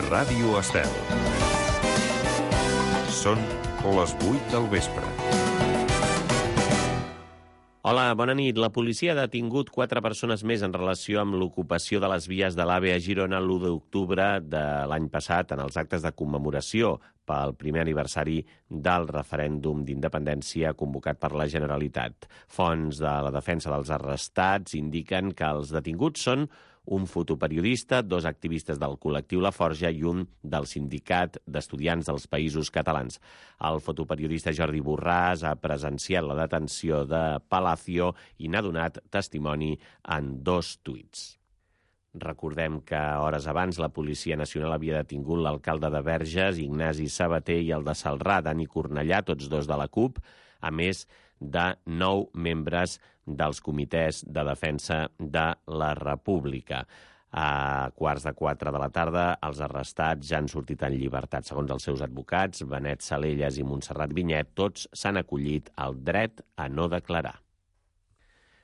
Ràdio Estel. Són les 8 del vespre. Hola, bona nit. La policia ha detingut 4 persones més en relació amb l'ocupació de les vies de l'AVE a Girona l'1 d'octubre de l'any passat en els actes de commemoració pel primer aniversari del referèndum d'independència convocat per la Generalitat. Fonts de la defensa dels arrestats indiquen que els detinguts són un fotoperiodista, 2 activistes del col·lectiu La Forja i un del Sindicat d'Estudiants dels Països Catalans. El fotoperiodista Jordi Borràs ha presenciat la detenció de Palacio i n'ha donat testimoni en 2 tuits. Recordem que hores abans la Policia Nacional havia detingut l'alcalde de Verges, Ignasi Sabater, i el de Celrà, Dani Cornellà, tots 2 de la CUP, a més de 9 membres dels comitès de defensa de la República. A 3:15 de la tarda, els arrestats ja han sortit en llibertat. Segons els seus advocats, Benet Salellas i Montserrat Vinyet, tots s'han acollit al dret a no declarar.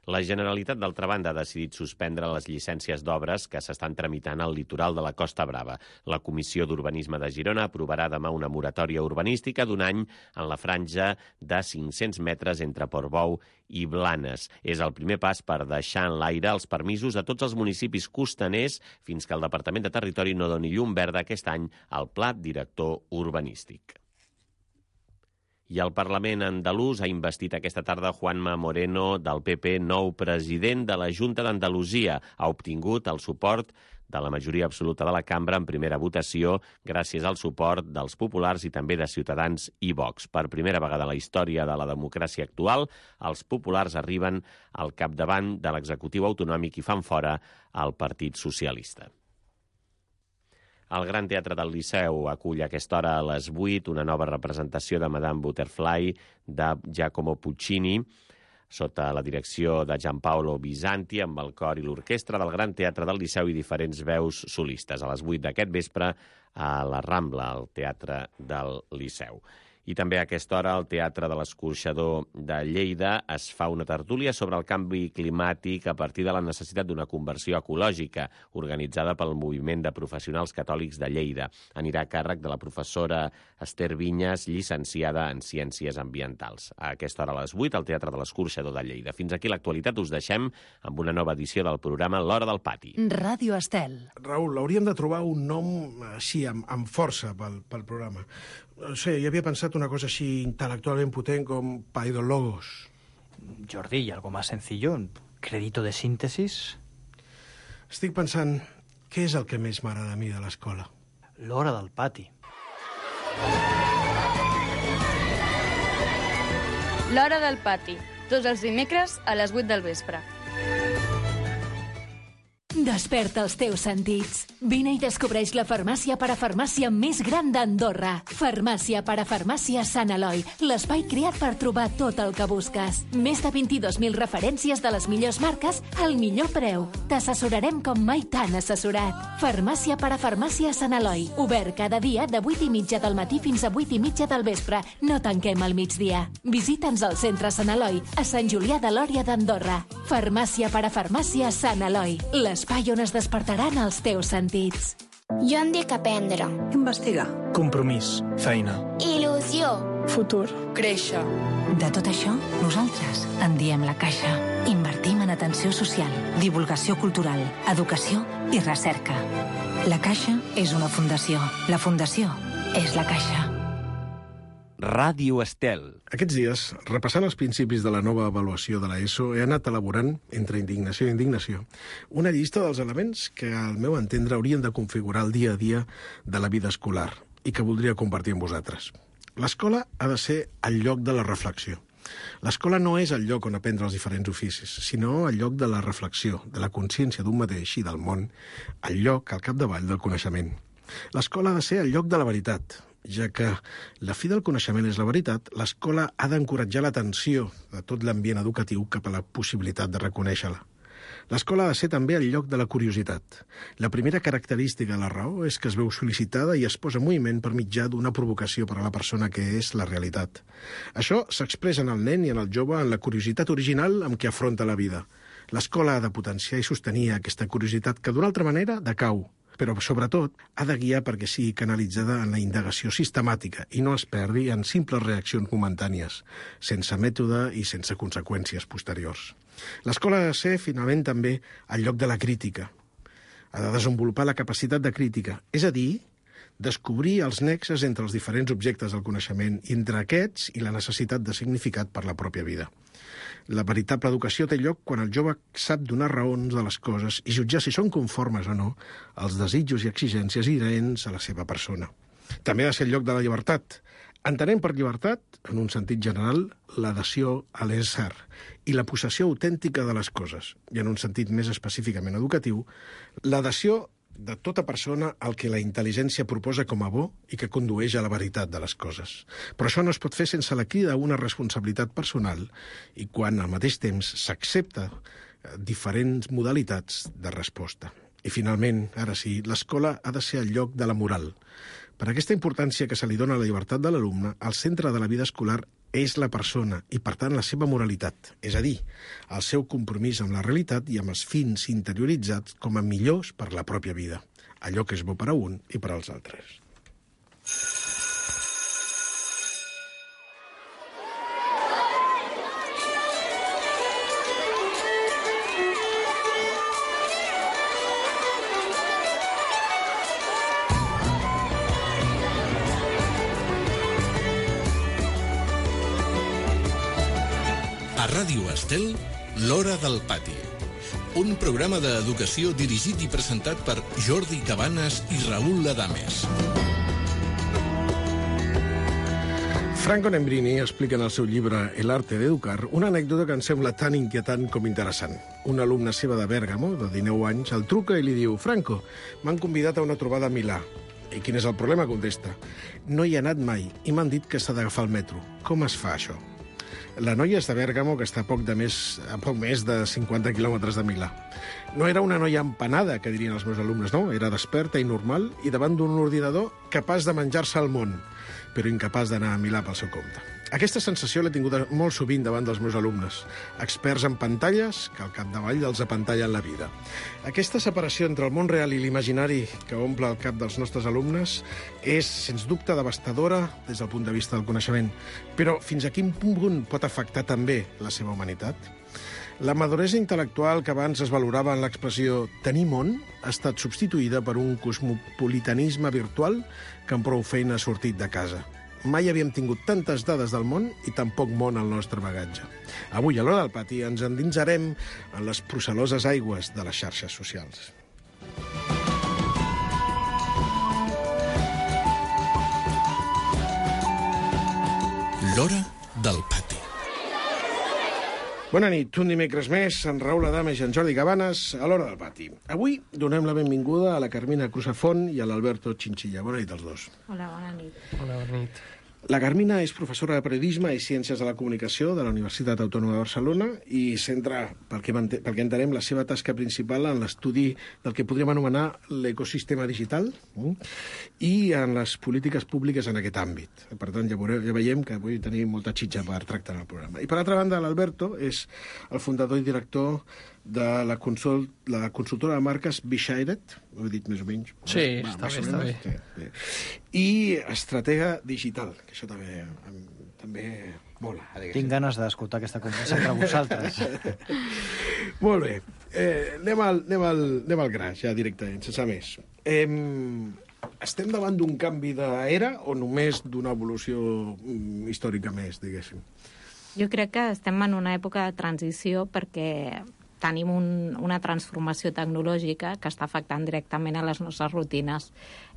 La Generalitat, d'altra banda, ha decidit suspendre les llicències d'obres que s'estan tramitant al litoral de la Costa Brava. La Comissió d'Urbanisme de Girona aprovarà demà una moratòria urbanística d'1 any en la franja de 500 metres entre Portbou i Blanes. És el primer pas per deixar en l'aire els permisos a tots els municipis costaners fins que el Departament de Territori no doni llum verda aquest any al Pla Director Urbanístic. I el Parlament andalús ha investit aquesta tarda Juanma Moreno, del PP, nou president de la Junta d'Andalusia. Ha obtingut el suport de la majoria absoluta de la cambra en primera votació gràcies al suport dels populars i també de Ciutadans i Vox. Per primera vegada a la història de la democràcia actual, els populars arriben al capdavant de l'executiu autonòmic i fan fora el Partit Socialista. El Gran Teatre del Liceu acull a aquesta hora a les 8 una nova representació de Madame Butterfly de Giacomo Puccini, sota la direcció de Gianpaolo Bisanti, amb el cor i l'orquestra del Gran Teatre del Liceu i diferents veus solistes. A les 8 d'aquest vespre a la Rambla, al Teatre del Liceu. I també a aquesta hora al Teatre de l'Escorxador de Lleida es fa una tertúlia sobre el canvi climàtic a partir de la necessitat d'una conversió ecològica organitzada pel Moviment de Professionals Catòlics de Lleida. Anirà a càrrec de la professora Esther Vinyes, llicenciada en Ciències Ambientals. A aquesta hora a les 8 al Teatre de l'Escorxador de Lleida. Fins aquí l'actualitat. Us deixem amb una nova edició del programa L'Hora del Pati. Ràdio Estel. Raül, hauríem de trobar un nom així, amb força pel programa. No sé, jo havia pensat una cosa així intel·lectualment potent com Paidologos. Jordi, ¿y algo más sencillo? ¿Crédito de síntesis? Estic pensant, què és el que més m'agrada a mi de l'escola? L'hora del pati. L'Hora del Pati, tots els dimecres a les 8 del vespre. Desperta els teus sentits. Vine i descobreix la farmàcia parafarmàcia més gran d'Andorra. Farmàcia parafarmàcia Sant Eloi, l'espai creat per trobar tot el que busques. Més de 22.000 referències de les millors marques al millor preu. T'assessorarem com mai t'han assessorat. Farmàcia parafarmàcia Sant Eloi, obert cada dia de 8:30 del matí fins a 8:30 del vespre. No tanquem al migdia. Visita'ns al centre Sant Eloi, a Sant Julià de Lòria d'Andorra. Farmàcia parafarmàcia Sant Eloi, l'espai on es despertaran els teus sentits. Jo em dic aprendre. Investigar. Compromís. Feina. Il·lusió. Futur. Créixer. De tot això, nosaltres en diem La Caixa. Invertim en atenció social, divulgació cultural, educació i recerca. La Caixa és una fundació. La fundació és La Caixa. Ràdio Estel. Aquests dies, repassant els principis de la nova avaluació de l'ESO, he anat elaborant, entre indignació i indignació, una llista dels elements que, al meu entendre, haurien de configurar el dia a dia de la vida escolar i que voldria compartir amb vosaltres. L'escola ha de ser el lloc de la reflexió. L'escola no és el lloc on aprendre els diferents oficis, sinó el lloc de la reflexió, de la consciència d'un mateix i del món, el lloc, al capdavall, del coneixement. L'escola ha de ser el lloc de la veritat, ja que la fi del coneixement és la veritat. L'escola ha d'encoratjar l'atenció de tot l'ambient educatiu cap a la possibilitat de reconèixer-la. L'escola ha de ser també el lloc de la curiositat. La primera característica de la raó és que es veu sol·licitada i es posa en moviment per mitjà d'una provocació per a la persona que és la realitat. Això s'expressa en el nen i en el jove en la curiositat original amb què afronta la vida. L'escola ha de potenciar i sostenir aquesta curiositat que d'una altra manera decau. però sobretot ha de guiar perquè sigui canalitzada en la indagació sistemàtica i no es perdi en simples reaccions momentànies, sense mètode i sense conseqüències posteriors. L'escola ha de ser, finalment, també el lloc de la crítica. Ha de desenvolupar la capacitat de crítica, és a dir, descobrir els nexes entre els diferents objectes del coneixement i entre aquests i la necessitat de significat per la pròpia vida. La veritable educació té lloc quan el jove sap donar raons de les coses i jutjar si són conformes o no als desitjos i exigències inherents a la seva persona. També ha de ser el lloc de la llibertat. Entenem per llibertat, en un sentit general, l'adhesió a l'ésser i la possessió autèntica de les coses, i en un sentit més específicament educatiu, l'adhesió de tota persona al que la intel·ligència proposa com a bo i que condueix a la veritat de les coses. Però això no es pot fer sense la crida a una responsabilitat personal i quan al mateix temps s'accepta diferents modalitats de resposta. I finalment, ara sí, l'escola ha de ser el lloc de la moral. Per aquesta importància que se li dona a la llibertat de l'alumne, el centre de la vida escolar és la persona i, per tant, la seva moralitat, és a dir, el seu compromís amb la realitat i amb els fins interioritzats com a millors per la pròpia vida, allò que és bo per a un i per als altres. A Ràdio Estel, l'Hora del Pati. Un programa d'educació dirigit i presentat per Jordi Cabanes i Raül Ladames. Franco Nembrini explica en el seu llibre El arte de educar una anècdota que em sembla tan inquietant com interessant. Una alumna seva de Bèrgamo, de 19 anys, el truca i li diu: Franco, m'han convidat a una trobada a Milà. I quin és el problema? Contesta. No hi he anat mai i m'han dit que s'ha d'agafar el metro. Com es fa això? La noia és de Bèrgamo, que està a poc més de 50 quilòmetres de Milà. No era una noia empanada, que dirien els meus alumnes, no. Era desperta i normal i davant d'un ordinador capaç de menjar-se el món, però incapaç d'anar a Milà pel seu compte. Aquesta sensació l'he tingut molt sovint davant dels meus alumnes, experts en pantalles que al capdavall els apantallen la vida. Aquesta separació entre el món real i l'imaginari que omple el cap dels nostres alumnes és, sens dubte, devastadora des del punt de vista del coneixement. Però fins a quin punt pot afectar també la seva humanitat? La maduresa intel·lectual que abans es valorava en l'expressió tenir món ha estat substituïda per un cosmopolitanisme virtual que amb prou feina ha sortit de casa. Mai havíem tingut tantes dades del món i tan poc món al nostre bagatge. Avui, a l'Hora del Pati, ens endinsarem en les procel·loses aigües de les xarxes socials. L'Hora del Pati. Bona nit, un dimecres més, en Raül Ladames i en Jordi Cabanes, a l'Hora del Pati. Avui donem la benvinguda a la Carmina Cruzafont i a l'Alberto Chinchilla. Bona nit als dos. Hola, bona nit. Hola, bona nit. La Carmina és professora de periodisme i ciències de la comunicació de la Universitat Autònoma de Barcelona i centra, pel que entenem, la seva tasca principal en l'estudi del que podríem anomenar l'ecosistema digital i en les polítiques públiques en aquest àmbit. Per tant, ja veiem que avui tenim molta xitxa per tractar en el programa. I per altra banda, l'Alberto és el fundador i director de la consultora de marques Beshided, ho he dit més o menys. Sí, està bé. Sí. I estratega digital, que això també mola. Tinc ganes d'escoltar aquesta conversa entre vosaltres. Molt bé. Anem al gra, ja directament, sense més. Estem davant d'un canvi d'era o només d'una evolució històrica més, diguéssim? Jo crec que estem en una època de transició perquè tenim una transformació tecnològica que està afectant directament a les nostres rutines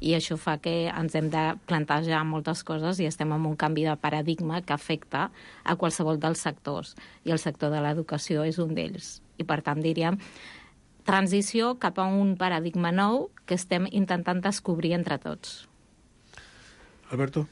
i això fa que ens hem de plantejar moltes coses i estem en un canvi de paradigma que afecta a qualsevol dels sectors i el sector de l'educació és un d'ells. I per tant diríem transició cap a un paradigma nou que estem intentant descobrir entre tots. Alberto.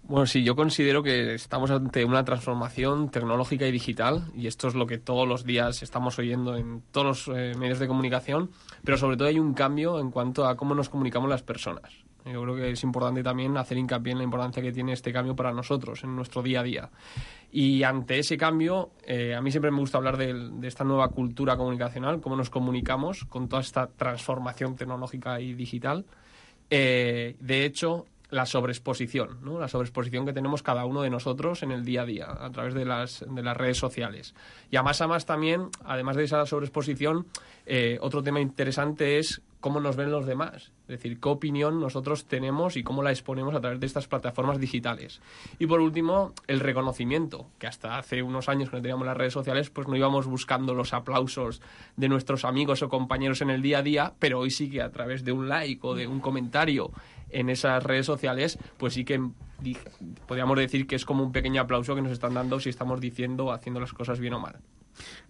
Bueno, sí, yo considero que estamos ante una transformación tecnológica y digital y esto es lo que todos los días estamos oyendo en todos los medios de comunicación, pero sobre todo hay un cambio en cuanto a cómo nos comunicamos las personas. Yo creo que es importante también hacer hincapié en la importancia que tiene este cambio para nosotros, en nuestro día a día. Y ante ese cambio, a mí siempre me gusta hablar de esta nueva cultura comunicacional, cómo nos comunicamos con toda esta transformación tecnológica y digital. De hecho, la sobreexposición, ¿no? La sobreexposición que tenemos cada uno de nosotros en el día a día, a través de las redes sociales. Y a más también, además de esa sobreexposición, otro tema interesante es cómo nos ven los demás. Es decir, qué opinión nosotros tenemos y cómo la exponemos a través de estas plataformas digitales. Y por último, el reconocimiento, que hasta hace unos años que no teníamos las redes sociales, pues no íbamos buscando los aplausos de nuestros amigos o compañeros en el día a día, pero hoy sí que a través de un like o de un comentario en esas redes sociales, pues sí que podríamos decir que es como un pequeño aplauso que nos están dando si estamos diciendo o haciendo las coses bien o mal.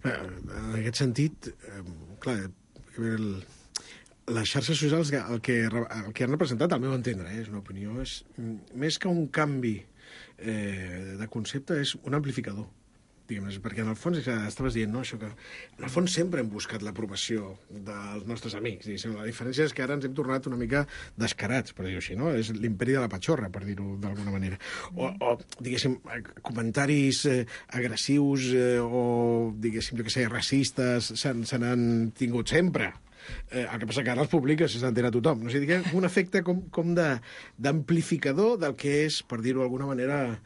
En aquest sentit, clar, les xarxes socials el que han representat, al meu entendre, és una opinió, és més que un canvi de concepte, és un amplificador, diguem-ne, perquè en el fons estaves dient, no, això que en el fons sempre hem buscat l'aprovació dels nostres amics, diguéssim. La diferència és que ara ens hem tornat una mica descarats, per dir-ho així, no? És l'imperi de la patxorra, per dir-ho d'alguna manera. O diguéssim, comentaris agressius o, diguéssim, jo què sé, racistes se n'han tingut sempre. El que passa que ara els publica si s'entera tothom. No? O sigui, un efecte com d'amplificador del que és, per dir-ho d'alguna manera,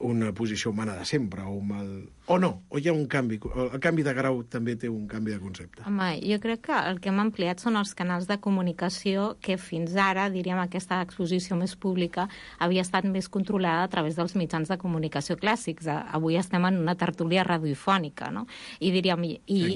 una posició humana de sempre, o no, o hi ha un canvi, el canvi de grau també té un canvi de concepte. Home, jo crec que el que hem ampliat són els canals de comunicació que fins ara, diríem, aquesta exposició més pública havia estat més controlada a través dels mitjans de comunicació clàssics. Avui estem en una tertúlia radiofònica, no? I diríem...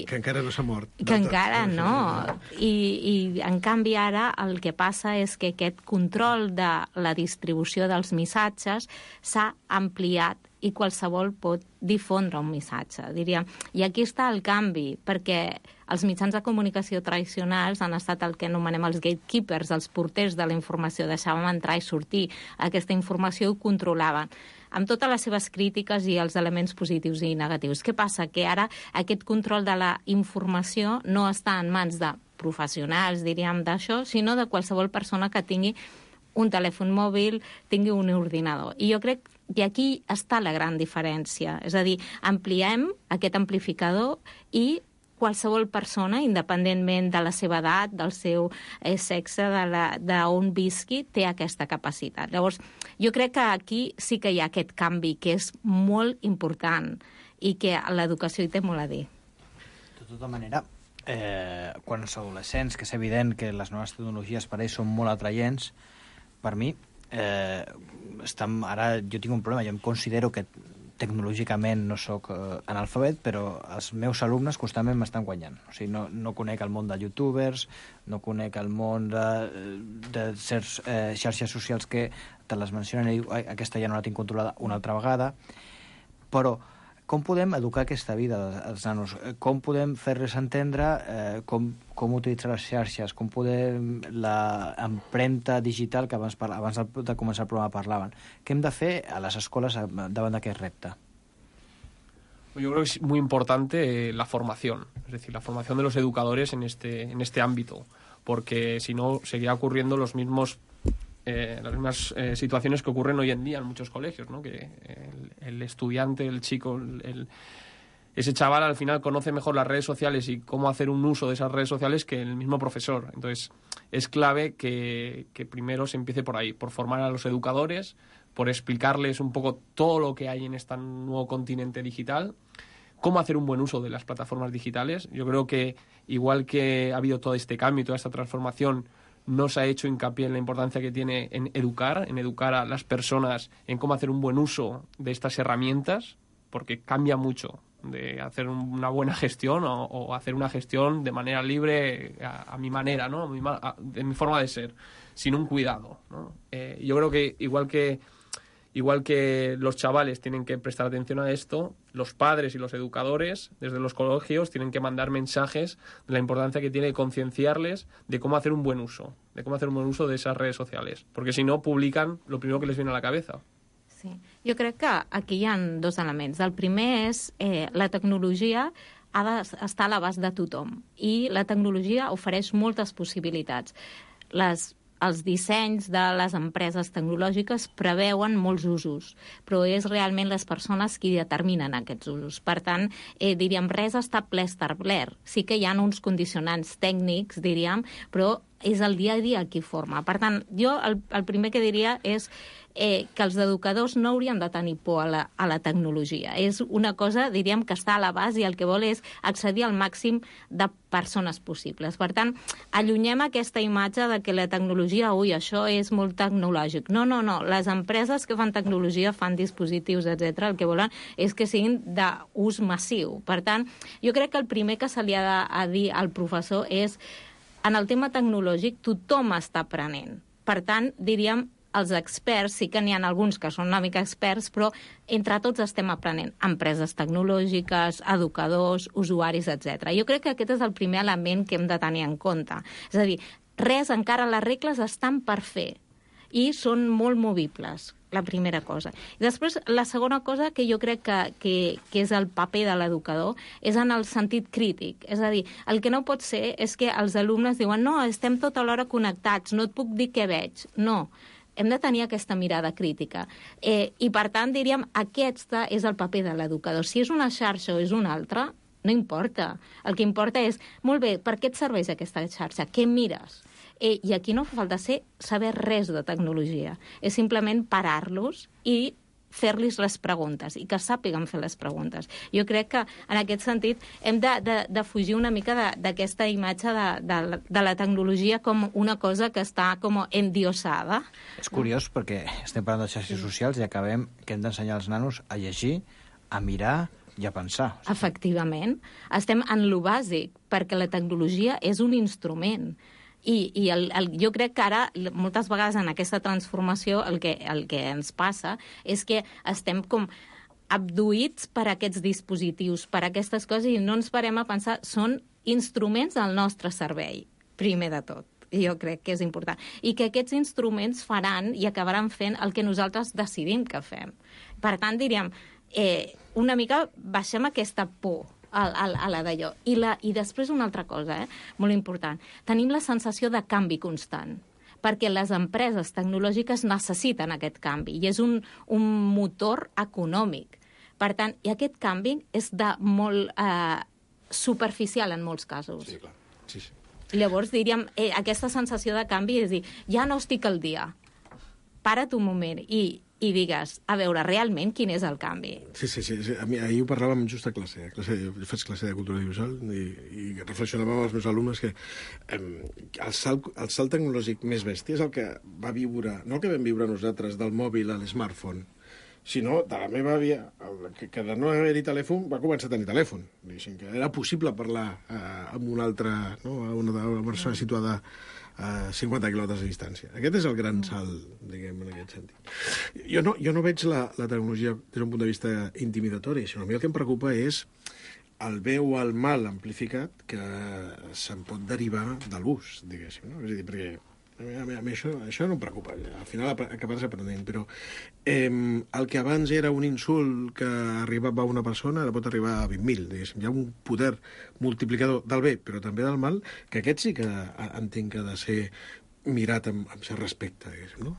Que encara no s'ha mort. Que encara no. I en canvi ara el que passa és que aquest control de la distribució dels missatges s'ha ampliat i qualsevol pot difondre un missatge, diríem. I aquí està el canvi, perquè els mitjans de comunicació tradicionals han estat el que anomenem els gatekeepers, els porters de la informació, deixàvem entrar i sortir aquesta informació i ho controlaven, amb totes les seves crítiques i els elements positius i negatius. Què passa? Que ara aquest control de la informació no està en mans de professionals, diríem, d'això, sinó de qualsevol persona que tingui un telèfon mòbil, tingui un ordinador. I jo crec que aquí està la gran diferència. És a dir, ampliem aquest amplificador i qualsevol persona, independentment de la seva edat, del seu sexe, d'on visqui, té aquesta capacitat. Llavors, jo crec que aquí sí que hi ha aquest canvi, que és molt important i que l'educació hi té molt a dir. De tota manera, quan els adolescents, que és evident que les noves tecnologies per ells són molt atraients, per mi, ara jo tinc un problema, jo em considero que tecnològicament no sóc analfabet, però els meus alumnes constantment m'estan guanyant. O sigui, no conec el món de youtubers, no conec el món de certs xarxes socials que te les mencionen i diu, aquesta ja no la tinc controlada una altra vegada, però com podem educar aquesta vida als nanos? Com podem fer-les entendre com utilitzar les xarxes? Com podem l'empremta digital que abans de començar el programa parlaven? Què hem de fer a les escoles davant d'aquest repte? Yo creo que es muy importante la formación, es decir, la formación de los educadores en este ámbito, porque si no seguirá ocurriendo las mismas situaciones que ocurren hoy en día en muchos colegios, ¿no? Que el estudiante, el chico, ese chaval al final conoce mejor las redes sociales y cómo hacer un uso de esas redes sociales que el mismo profesor. Entonces, es clave que primero se empiece por ahí, por formar a los educadores, por explicarles un poco todo lo que hay en este nuevo continente digital, cómo hacer un buen uso de las plataformas digitales. Yo creo que igual que ha habido todo este cambio y toda esta transformación, no se ha hecho hincapié en la importancia que tiene en educar a las personas en cómo hacer un buen uso de estas herramientas, porque cambia mucho de hacer una buena gestión o hacer una gestión de manera libre a mi manera, ¿no? De mi forma de ser, sin un cuidado, ¿no? Yo creo que igual que los chavales tienen que prestar atención a esto, los padres y los educadores desde los colegios tienen que mandar mensajes de la importancia que tiene concienciarles de cómo hacer un buen uso, de esas redes sociales, porque si no publican lo primero que les viene a la cabeza. Sí. Jo crec que aquí hi ha dos elements. El primer és la tecnologia ha d'estar a l'abast de tothom i la tecnologia ofereix moltes possibilitats. Les els dissenys de les empreses tecnològiques preveuen molts usos, però és realment les persones qui determinen aquests usos. Per tant, diríem, res està ple establert. Sí que hi ha uns condicionants tècnics, diríem, però és el dia a dia qui forma. Per tant, jo el primer que diria és que els educadors no haurien de tenir por a la tecnologia. És una cosa, diríem, que està a la base i el que vol és accedir al màxim de persones possibles. Per tant, allunyem aquesta imatge de que la tecnologia, això és molt tecnològic. No. Les empreses que fan tecnologia, fan dispositius, etc. El que volen és que siguin d'ús massiu. Per tant, jo crec que el primer que se li ha de dir al professor és en el tema tecnològic tothom està aprenent. Per tant, diríem, els experts, sí que n'hi ha alguns que són una mica experts, però entre tots estem aprenent. Empreses tecnològiques, educadors, usuaris, etc. Jo crec que aquest és el primer element que hem de tenir en compte. És a dir, encara les regles estan per fer i són molt movibles, la primera cosa. I després, la segona cosa que jo crec que és el paper de l'educador és en el sentit crític. És a dir, el que no pot ser és que els alumnes diuen no, estem tota l'hora connectats, no et puc dir què veig. No, hem de tenir aquesta mirada crítica. I, per tant, diríem, aquest és el paper de l'educador. Si és una xarxa o és una altra, no importa. El que importa és, molt bé, per què et serveix aquesta xarxa? Què mires? I aquí no fa falta saber res de tecnologia. És simplement parar-los i fer-los les preguntes i que sàpiguen fer les preguntes. Jo crec que, en aquest sentit, hem de fugir una mica d'aquesta imatge de la tecnologia com una cosa que està com endiosada. És curiós perquè estem parlant de xarxes socials i acabem que hem d'ensenyar als nanos a llegir, a mirar i a pensar. Efectivament. Estem en lo bàsic, perquè la tecnologia és un instrument. I jo crec que ara, moltes vegades en aquesta transformació, el que ens passa és que estem com abduïts per aquests dispositius, per aquestes coses, i no ens parem a pensar, són instruments al nostre servei, primer de tot. Jo crec que és important. I que aquests instruments faran i acabaran fent el que nosaltres decidim que fem. Per tant, diríem, una mica baixem aquesta por a la d'allò. I després una altra cosa, molt important. Tenim la sensació de canvi constant, perquè les empreses tecnològiques necessiten aquest canvi i és un motor econòmic. Per tant, i aquest canvi és de molt superficial en molts casos. Sí, clar. Sí. Llavors, diríem, aquesta sensació de canvi és dir, ja no estic al dia, para't un moment i digues, a veure, realment, quin és el canvi? Sí. A mi, ahir ho parlàvem just a classe. Jo faig classe de cultura audiovisual i reflexionàvem amb els meus alumnes que el salt tecnològic més bèstia és el que va viure, no el que vam viure nosaltres del mòbil a l'smartphone, sinó de la meva àvia, que de no haver-hi telèfon va començar a tenir telèfon. Que era possible parlar amb una altra, no? Una persona situada a 50 quilòmetres de distància. Aquest és el gran salt, diguem, en aquest sentit. Jo no veig la tecnologia des d'un punt de vista intimidatori, sinó a mi el que em preocupa és el bé o el mal amplificat que se'n pot derivar de l'ús, diguéssim. No? És a dir, perquè a mi això no em preocupa. Al final acabaràs aprenent, però el que abans era un insult que arribava a una persona ara pot arribar a 20.000, diguéssim. Hi ha un poder multiplicador del bé, però també del mal, que aquest sí que entenc que ha de ser mirat amb cert respecte, diguéssim, no?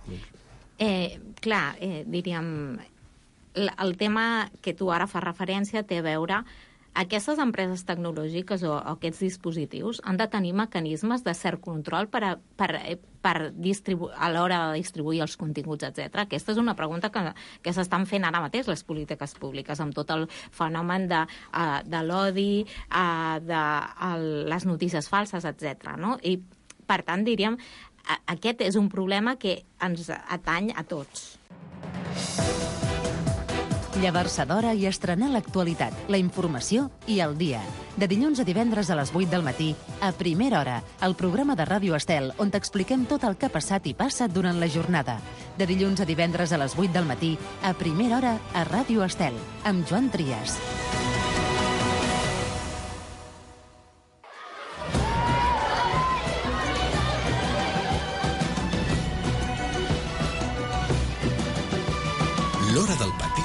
Diríem, el tema que tu ara fas referència té a veure. Aquestes empreses tecnològiques o aquests dispositius han de tenir mecanismes de cert control a l'hora de distribuir els continguts, etc. Aquesta és una pregunta que s'estan fent ara mateix les polítiques públiques, amb tot el fenomen de l'odi, de les notícies falses, etc. No? I, per tant, diríem, aquest és un problema que ens atany a tots. Llevar-se d'hora i estrenar l'actualitat, la informació i el dia. De dilluns a divendres a les 8 del matí, a Primera Hora, el programa de Ràdio Estel, on t'expliquem tot el que ha passat i passa durant la jornada. De dilluns a divendres a les 8 del matí, a Primera Hora, a Ràdio Estel, amb Joan Trias. L'Hora del Pati.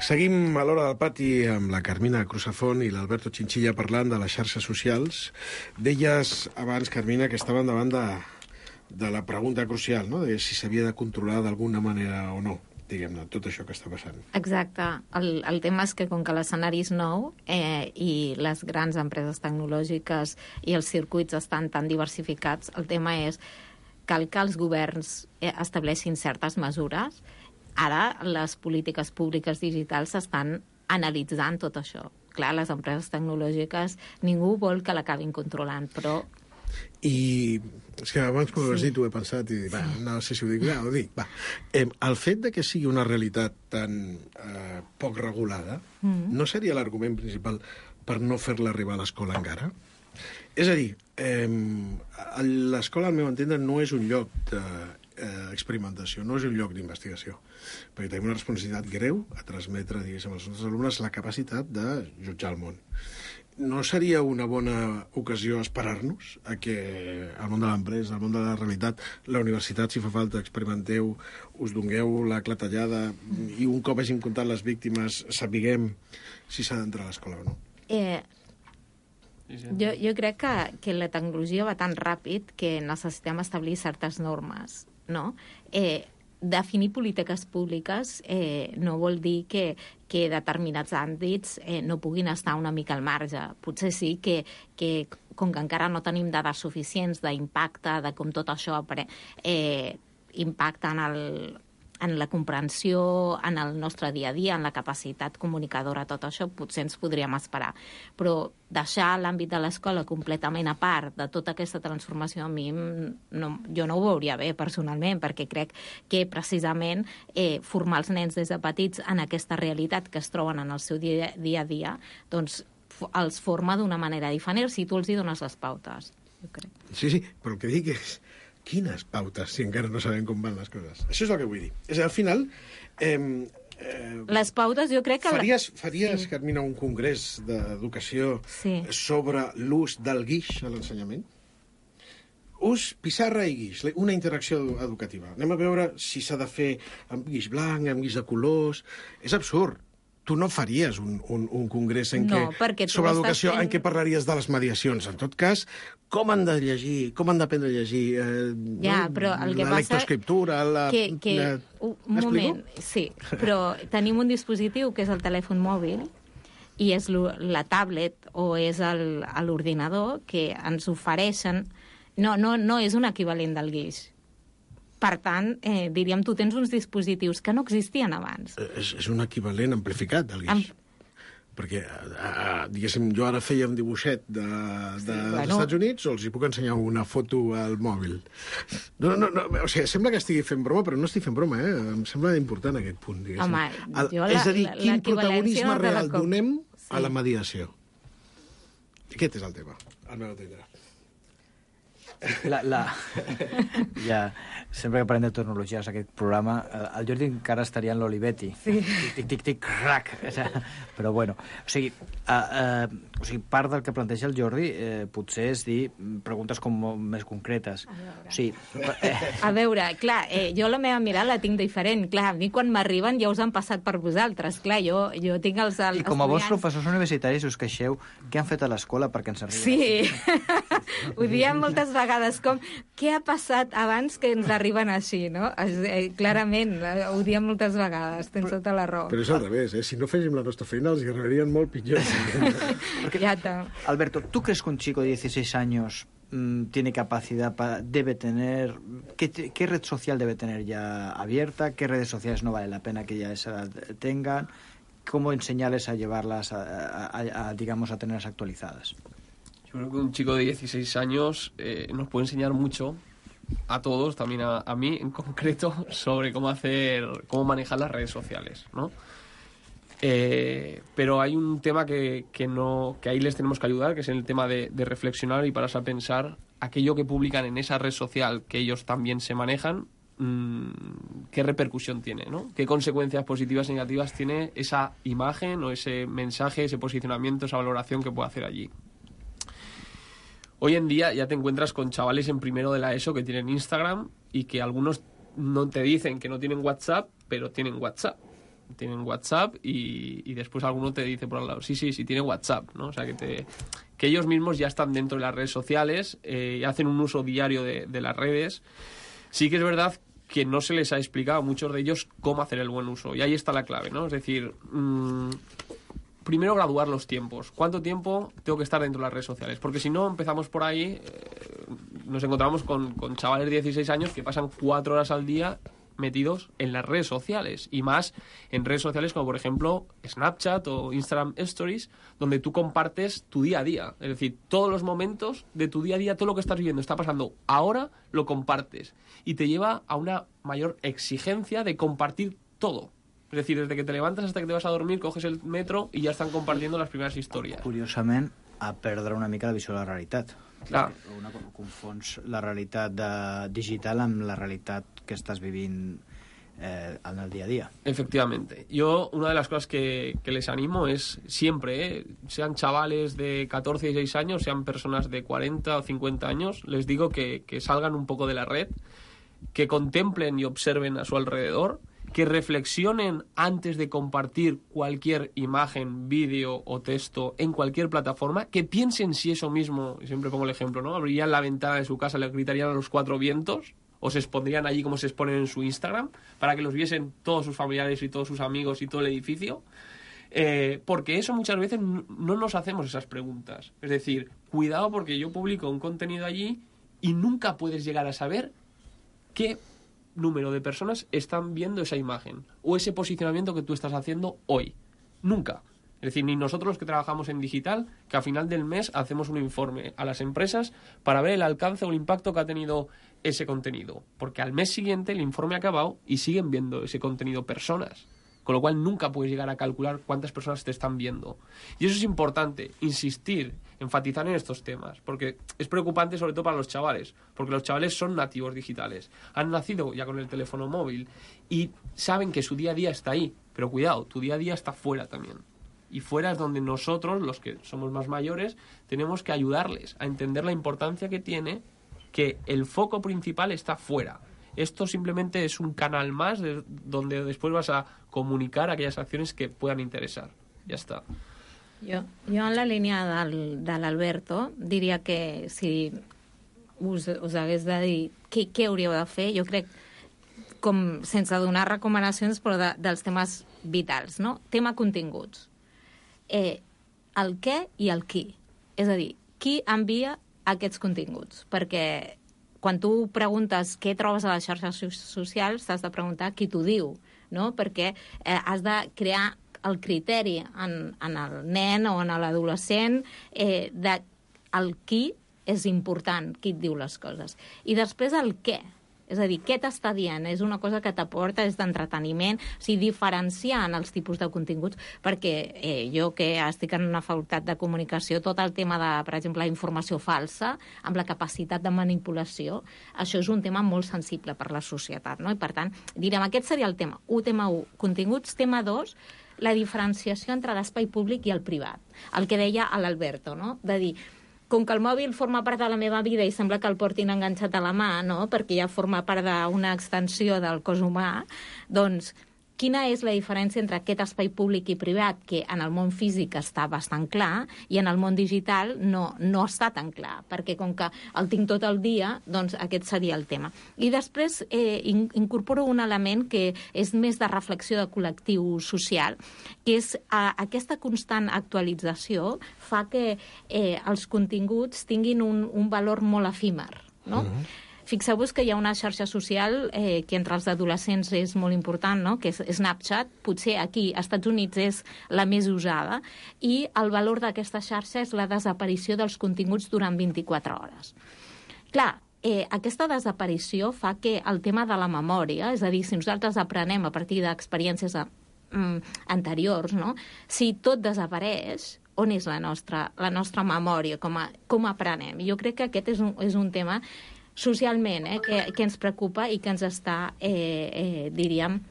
Seguim a l'Hora del Pati amb la Carmina Cruzafont i l'Alberto Chinchilla parlant de les xarxes socials. Deies abans, Carmina, que estaven davant la pregunta crucial, no?, de si s'havia de controlar d'alguna manera o no, diguem-ne, tot això que està passant. Exacte. El tema és que com que l'escenari és nou i les grans empreses tecnològiques i els circuits estan tan diversificats, el tema és cal que els governs estableixin certes mesures. Ara les polítiques públiques digitals estan analitzant tot això. Clar, les empreses tecnològiques ningú vol que l'acabin controlant, però... I és que abans quan ho has dit ho he pensat i va, no sé si ho dic, ho dic. Va. El fet de que sigui una realitat tan poc regulada no seria l'argument principal per no fer-la arribar a l'escola encara? És a dir, l'escola, al meu entendre, no és un lloc d'experimentació, no és un lloc d'investigació, perquè tenim una responsabilitat greu a transmetre, diguéssim, als nostres alumnes la capacitat de jutjar el món. No seria una bona ocasió esperar-nos a que al món de l'empresa, al món de la realitat, la universitat, si fa falta, experimenteu, us dongueu la clatellada i un cop hàgim comptat les víctimes sapiguem si s'ha d'entrar a l'escola o no? Jo crec que la tecnologia va tan ràpid que necessitem establir certes normes, no? Definir polítiques públiques no vol dir que determinats àmbits no puguin estar una mica al marge. Potser sí que com que encara no tenim dades suficients d'impacte, de com tot això impacta en la comprensió, en el nostre dia a dia, en la capacitat comunicadora, tot això, potser ens podríem esperar. Però deixar l'àmbit de l'escola completament a part de tota aquesta transformació, a mi jo no ho veuria bé, personalment, perquè crec que precisament formar els nens des de petits en aquesta realitat que es troben en el seu dia a dia, doncs els forma d'una manera diferent si tu els hi dones les pautes, jo crec. Sí, però el que dic és quines pautes, si encara no sabem com van les coses. Això és el que vull dir. És al final... les pautes, jo crec que... Faries, Carmina, un congrés d'educació sobre l'ús del guix a l'ensenyament? Ús, pissarra i guix, una interacció educativa. Anem a veure si s'ha de fer amb guix blanc, amb guix de colors... És absurd. Tu no faries un congrés sobre educació en què parlaries de les mediacions. En tot cas, com han de llegir, com han d'aprendre a llegir però el que la lectoescriptura... Un moment, sí, però tenim un dispositiu que és el telèfon mòbil i és la tablet o és l'ordinador que ens ofereixen... No és un equivalent del guix. Per tant, diríem, tu tens uns dispositius que no existien abans. És un equivalent amplificat del guix. Perquè, diguéssim, jo ara feia un dibuixet dels Estats Units o els hi puc ensenyar una foto al mòbil. No, o sigui, sembla que estigui fent broma, però no estic fent broma, Em sembla important aquest punt, diguéssim. Home, és a dir, quin protagonisme real donem a la mediació. Aquest és el tema, al meu entendre. Sempre que parlem de tecnologies aquest programa, el Jordi encara estaria en l'Olivetti. Tic, tic, tic, rac. Però bueno, o sigui, part del que planteja el Jordi potser és dir preguntes com més concretes. A veure, clar, jo la meva mirada la tinc diferent. Clar, a mi quan m'arriben ja us han passat per vosaltres. Clar, jo tinc els I com a bons professors universitaris us queixeu què han fet a l'escola perquè ens arriben. Sí, ho diem moltes vegades, com què ha passat abans que ens arriben així, no? Clarament, ho diem moltes vegades, tens tota la raó. Però és al revés, si no féssim la nostra feina els arribarien molt pitjor. Alberto, ¿tú crees que un chico de 16 años tiene capacidad debe tener, qué red social debe tener ya abierta, qué redes sociales no vale la pena que ya esa tengan, cómo enseñarles a llevarlas digamos, a tenerlas actualizadas? Yo creo que un chico de 16 años nos puede enseñar mucho a todos, también a mí en concreto, sobre cómo manejar las redes sociales, ¿no? Pero hay un tema que ahí les tenemos que ayudar, que es el tema de reflexionar y pararse a pensar aquello que publican en esa red social que ellos también se manejan, qué repercusión tiene, ¿no? Qué consecuencias positivas y negativas tiene esa imagen o ese mensaje, ese posicionamiento, esa valoración que puede hacer allí. Hoy en día ya te encuentras con chavales en primero de la ESO que tienen Instagram y que algunos no te dicen que no tienen WhatsApp, pero tienen WhatsApp. tienen WhatsApp y después alguno te dice por al lado, sí, tienen WhatsApp, ¿no? O sea, que ellos mismos ya están dentro de las redes sociales y hacen un uso diario de las redes. Sí que es verdad que no se les ha explicado a muchos de ellos cómo hacer el buen uso. Y ahí está la clave, ¿no? Es decir, primero graduar los tiempos. ¿Cuánto tiempo tengo que estar dentro de las redes sociales? Porque si no, empezamos por ahí, nos encontramos con chavales de 16 años que pasan 4 horas al día metidos en las redes sociales, y más en redes sociales como por ejemplo Snapchat o Instagram Stories, donde tú compartes tu día a día, es decir, todos los momentos de tu día a día, todo lo que estás viviendo, está pasando ahora, lo compartes, y te lleva a una mayor exigencia de compartir todo. Es decir, desde que te levantas hasta que te vas a dormir, coges el metro y ya están compartiendo las primeras historias. Curiosament, a perdre una mica la visió de la realitat. Clar. Confons la realitat digital amb la realitat que estàs vivint en el día a día. Efectivamente. Yo, una de las cosas que les animo es siempre, sean chavales de 14 y 16 años, sean personas de 40 o 50 años, les digo que salgan un poco de la red, que contemplen y observen a su alrededor, que reflexionen antes de compartir cualquier imagen, vídeo o texto en cualquier plataforma, que piensen si eso mismo, y siempre pongo el ejemplo, ¿no? Abrirían la ventana de su casa, le gritarían a los 4 vientos, o se expondrían allí como se exponen en su Instagram, para que los viesen todos sus familiares y todos sus amigos y todo el edificio, porque eso muchas veces no nos hacemos esas preguntas. Es decir, cuidado, porque yo publico un contenido allí y nunca puedes llegar a saber qué número de personas están viendo esa imagen o ese posicionamiento que tú estás haciendo hoy. Nunca. Es decir, ni nosotros los que trabajamos en digital, que a final del mes hacemos un informe a las empresas para ver el alcance o el impacto que ha tenido ese contenido. Porque al mes siguiente el informe ha acabado y siguen viendo ese contenido personas. Con lo cual nunca puedes llegar a calcular cuántas personas te están viendo. Y eso es importante, insistir, enfatizar en estos temas, porque es preocupante sobre todo para los chavales, porque los chavales son nativos digitales, han nacido ya con el teléfono móvil y saben que su día a día está ahí, pero cuidado, tu día a día está fuera también. Y fuera es donde nosotros, los que somos más mayores, tenemos que ayudarles a entender la importancia que tiene que el foco principal está fuera. Esto simplemente es un canal más donde después vas a comunicar aquellas acciones que puedan interesar. Ja està. Jo en la línia de l'Alberto diria que si us hagués de dir què hauríeu de fer, jo crec, com sense donar recomanacions, però dels temes vitals, no? Tema continguts. El què i el qui. És a dir, qui envia aquests continguts? Perquè quan tu preguntes què trobes a les xarxes socials, t'has de preguntar qui t'ho diu, no? Perquè has de crear el criteri en el nen o en l'adolescent de el qui és important, qui et diu les coses. I després el què. És a dir, què t'està dient? És una cosa que t'aporta, és d'entreteniment, o sigui, diferenciar en els tipus de continguts, perquè jo que estic en una facultat de comunicació, tot el tema de, per exemple, la informació falsa, amb la capacitat de manipulació, això és un tema molt sensible per la societat, no? I per tant, direm, aquest seria el tema 1, tema 1, continguts, tema 2, la diferenciació entre l'espai públic i el privat, el que deia l'Alberto, no? De dir, com que el mòbil forma part de la meva vida i sembla que el portin enganxat a la mà, no? Perquè ja forma part d'una extensió del cos humà, doncs quina és la diferència entre aquest espai públic i privat, que en el món físic està bastant clar, i en el món digital no està tan clar, perquè com que el tinc tot el dia, doncs aquest seria el tema. I després incorporo un element que és més de reflexió de col·lectiu social, que és aquesta constant actualització fa que els continguts tinguin un valor molt efímer, no? Fixeu-vos que hi ha una xarxa social que entre els adolescents és molt important, no? Que és Snapchat, potser aquí als Estats Units és la més usada, i el valor d'aquesta xarxa és la desaparició dels continguts durant 24 hores. Clar, aquesta desaparició fa que el tema de la memòria, és a dir, si nosaltres aprenem a partir d'experiències anteriors, no? Si tot desapareix, on és la nostra memòria, com aprenem? Jo crec que aquest és un tema socialment, que ens preocupa i que ens està, diríem,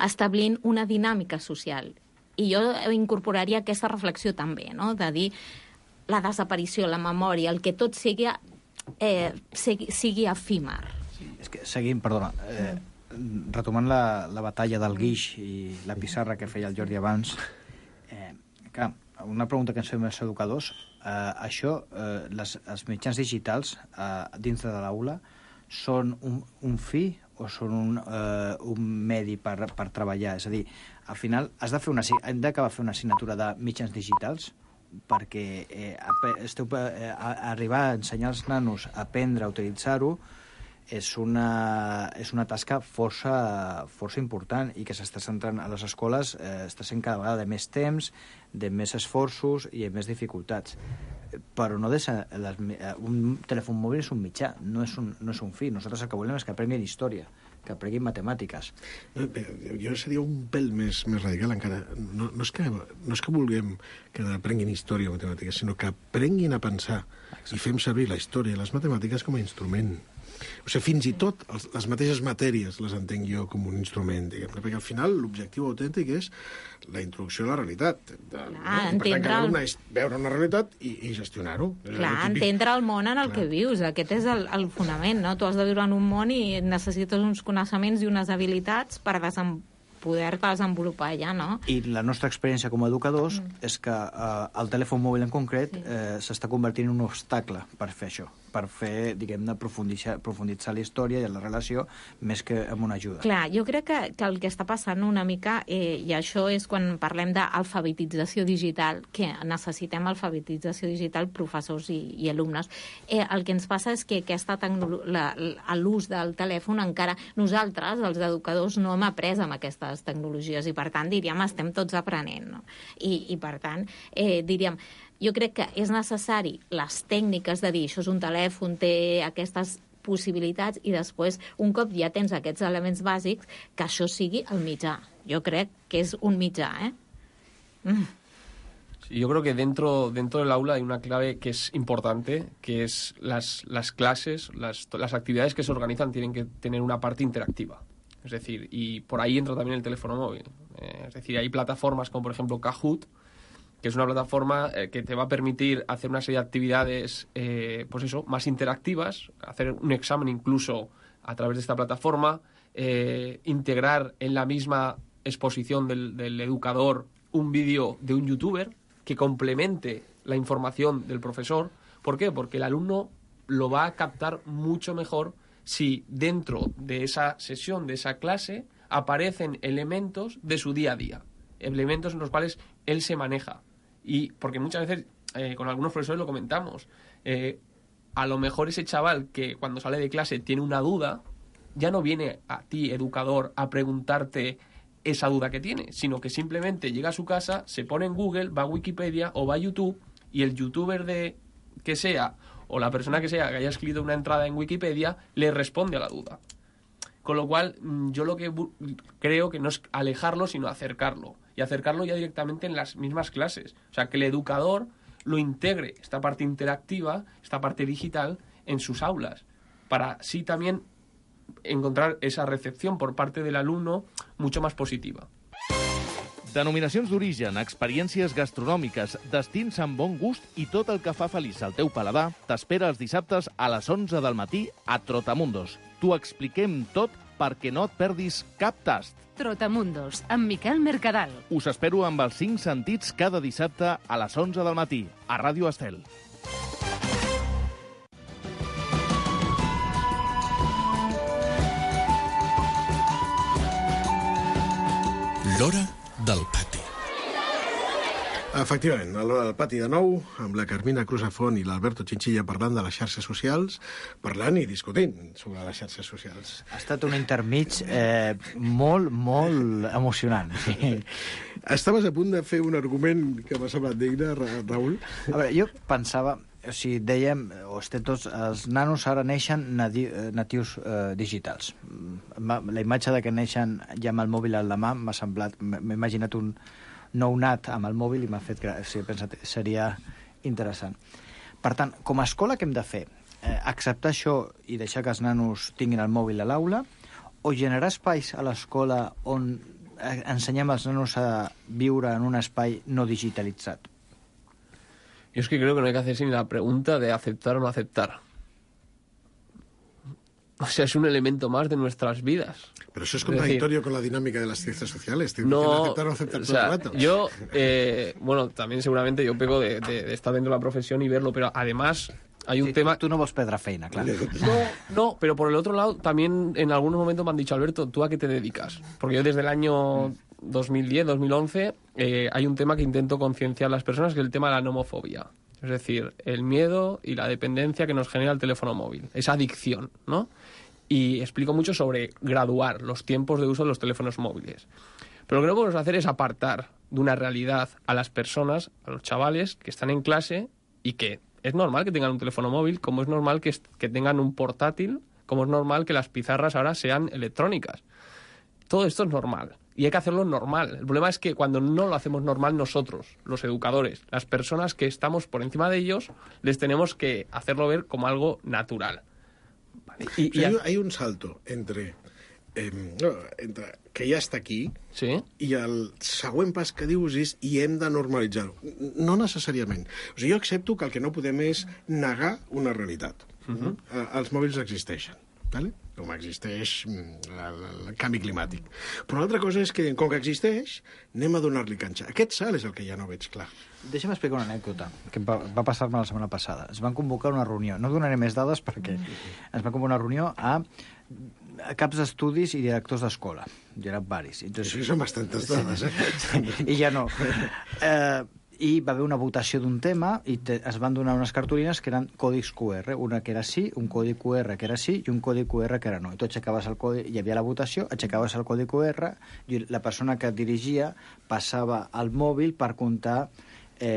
establint una dinàmica social. I jo incorporaria aquesta reflexió també, no? De dir la desaparició, la memòria, el que tot sigui efímer. És que seguim, perdona, retomant la batalla del guix i la pissarra que feia el Jordi abans, clar, una pregunta que ens fem els educadors, els mitjans digitals dins de l'aula són un fi o són un medi per treballar? És a dir, al final hem d'acabar fent una assignatura de mitjans digitals perquè arribar a ensenyar als nanos a aprendre a utilitzar-ho és una tasca força important i que s'està centrant a les escoles, està sent cada vegada de més temps, de més esforços i de més dificultats. Però no un telèfon mòbil és un mitjà, no és un fi. Nosaltres el que volem és que aprenguin història, que aprenguin matemàtiques. Jo seria un pèl més radical encara. No és que vulguem que aprenguin història o matemàtiques, sinó que aprenguin a pensar i fem servir la història i les matemàtiques com a instrument. O sigui, fins i tot les mateixes matèries les entenc jo com un instrument, diguem-ne, perquè al final l'objectiu autèntic és la introducció a la realitat. Per tant, cada alumne és veure una realitat i gestionar-ho. Clar, entendre el món en el que vius. Aquest és el fonament, no? Tu has de viure en un món i necessites uns coneixements i unes habilitats per poder-te desenvolupar allà, no? I la nostra experiència com a educadors és que el telèfon mòbil en concret s'està convertint en un obstacle per fer això, per fer, diguem-ne, profunditzar la història i la relació més que amb una ajuda. Clar, jo crec que el que està passant una mica, i això és quan parlem d'alfabetització digital, que necessitem alfabetització digital professors i alumnes, el que ens passa és que l'ús del telèfon encara nosaltres, els educadors, no hem après amb aquestes tecnologies i per tant, diríem, estem tots aprenent, no? I per tant, diríem, jo crec que és necessari les tècniques de dir això és un telèfon, té aquestes possibilitats i després, un cop ja tens aquests elements bàsics, que això sigui el mitjà. Jo crec que és un mitjà, Sí, yo creo que dentro del aula hay una clave que es importante, que es las clases, las actividades que se organizan tienen que tener una parte interactiva. Es decir, y por ahí entra también el teléfono móvil. Es decir, hay plataformas como, por ejemplo, Kahoot, que es una plataforma que te va a permitir hacer una serie de actividades, más interactivas, hacer un examen incluso a través de esta plataforma, integrar en la misma exposición del educador un vídeo de un youtuber que complemente la información del profesor. ¿Por qué? Porque el alumno lo va a captar mucho mejor si dentro de esa sesión, de esa clase, aparecen elementos de su día a día, elementos en los cuales él se maneja. Y porque muchas veces, con algunos profesores lo comentamos, a lo mejor ese chaval que cuando sale de clase tiene una duda, ya no viene a ti, educador, a preguntarte esa duda que tiene, sino que simplemente llega a su casa, se pone en Google, va a Wikipedia o va a YouTube y el youtuber que sea o la persona que sea que haya escrito una entrada en Wikipedia le responde a la duda. Con lo cual, yo lo que creo que no es alejarlo, sino acercarlo. Y acercarlo ya directamente en las mismas clases. O sea, que el educador lo integre, esta parte interactiva, esta parte digital, en sus aulas. Para así también encontrar esa recepción por parte del alumno mucho más positiva. Denominacions d'origen, experiències gastronòmiques, destins amb bon gust i tot el que fa feliç al teu paladar t'espera els dissabtes a les 11 del matí a Trotamundos. T'ho expliquem tot perquè no et perdis cap tast. Trotamundos, amb Miquel Mercadal. Us espero amb els 5 sentits cada dissabte a les 11 del matí, a Ràdio Estel. L'Hora del Pati. Efectivament, a l'Hora del Pati de nou, amb la Carmina Cruzafont i l'Alberto Chinchilla parlant de les xarxes socials, parlant i discutint sobre les xarxes socials. Ha estat un intermig molt, molt emocionant. Estaves a punt de fer un argument que m'ha semblat digne, Raül? A veure, jo pensava, o sigui, dèiem, els nanos ara neixen natius digitals. La imatge de que neixen ja amb el mòbil a la mà m'ha semblat, m'he imaginat un nounat amb el mòbil i m'ha fet que he pensat seria interessant. Per tant, com a escola, què hem de fer? Acceptar això i deixar que els nanos tinguin el mòbil a l'aula o generar espais a l'escola on ensenyem als nanos a viure en un espai no digitalitzat? Yo es que creo que no hay que hacerse ni la pregunta de aceptar o no aceptar. O sea, es un elemento más de nuestras vidas. Pero eso es contradictorio con la dinámica de las ciencias sociales. No, aceptar o aceptar o todo sea, el rato. Yo, bueno, también seguramente yo pego de estar dentro de la profesión y verlo, pero además hay un tema... Tú no vols perdre feina, claro. No, pero por el otro lado, también en algunos momentos me han dicho, Alberto, ¿tú a qué te dedicas? Porque yo desde el año 2010, 2011, hay un tema que intento concienciar a las personas, que es el tema de la nomofobia. Es decir, el miedo y la dependencia que nos genera el teléfono móvil. Esa adicción, ¿no? Y explico mucho sobre graduar los tiempos de uso de los teléfonos móviles. Pero lo que no podemos hacer es apartar de una realidad a las personas, a los chavales que están en clase y que es normal que tengan un teléfono móvil, como es normal que tengan un portátil, como es normal que las pizarras ahora sean electrónicas. Todo esto es normal y hay que hacerlo normal. El problema es que cuando no lo hacemos normal nosotros, los educadores, las personas que estamos por encima de ellos, les tenemos que hacerlo ver como algo natural. Vale. Hay un salto entre que ja està aquí i el següent pas que dius és i hem de normalitzar-ho. No necessàriament. O sigui, jo accepto que el que no podem és negar una realitat. Els mòbils existeixen, ¿vale? Com existeix el canvi climàtic. Però l'altra cosa és que, com que existeix, anem a donar-li canxa. Aquest salt és el que ja no veig clar. Deixa'm explicar una anècdota que va passar-me la setmana passada. Es van convocar una reunió. No donaré més dades perquè es va convocar una reunió a caps d'estudis i directors d'escola. Hi eren varis. Entonces, això són bastantes dades, I ja no. I va haver una votació d'un tema i es van donar unes cartolines que eren còdics QR. Una que era sí, un codi QR que era sí i un codi QR que era no. I tu aixecaves el codi, hi havia la votació, aixecaves el codi QR i la persona que dirigia passava al mòbil per comptar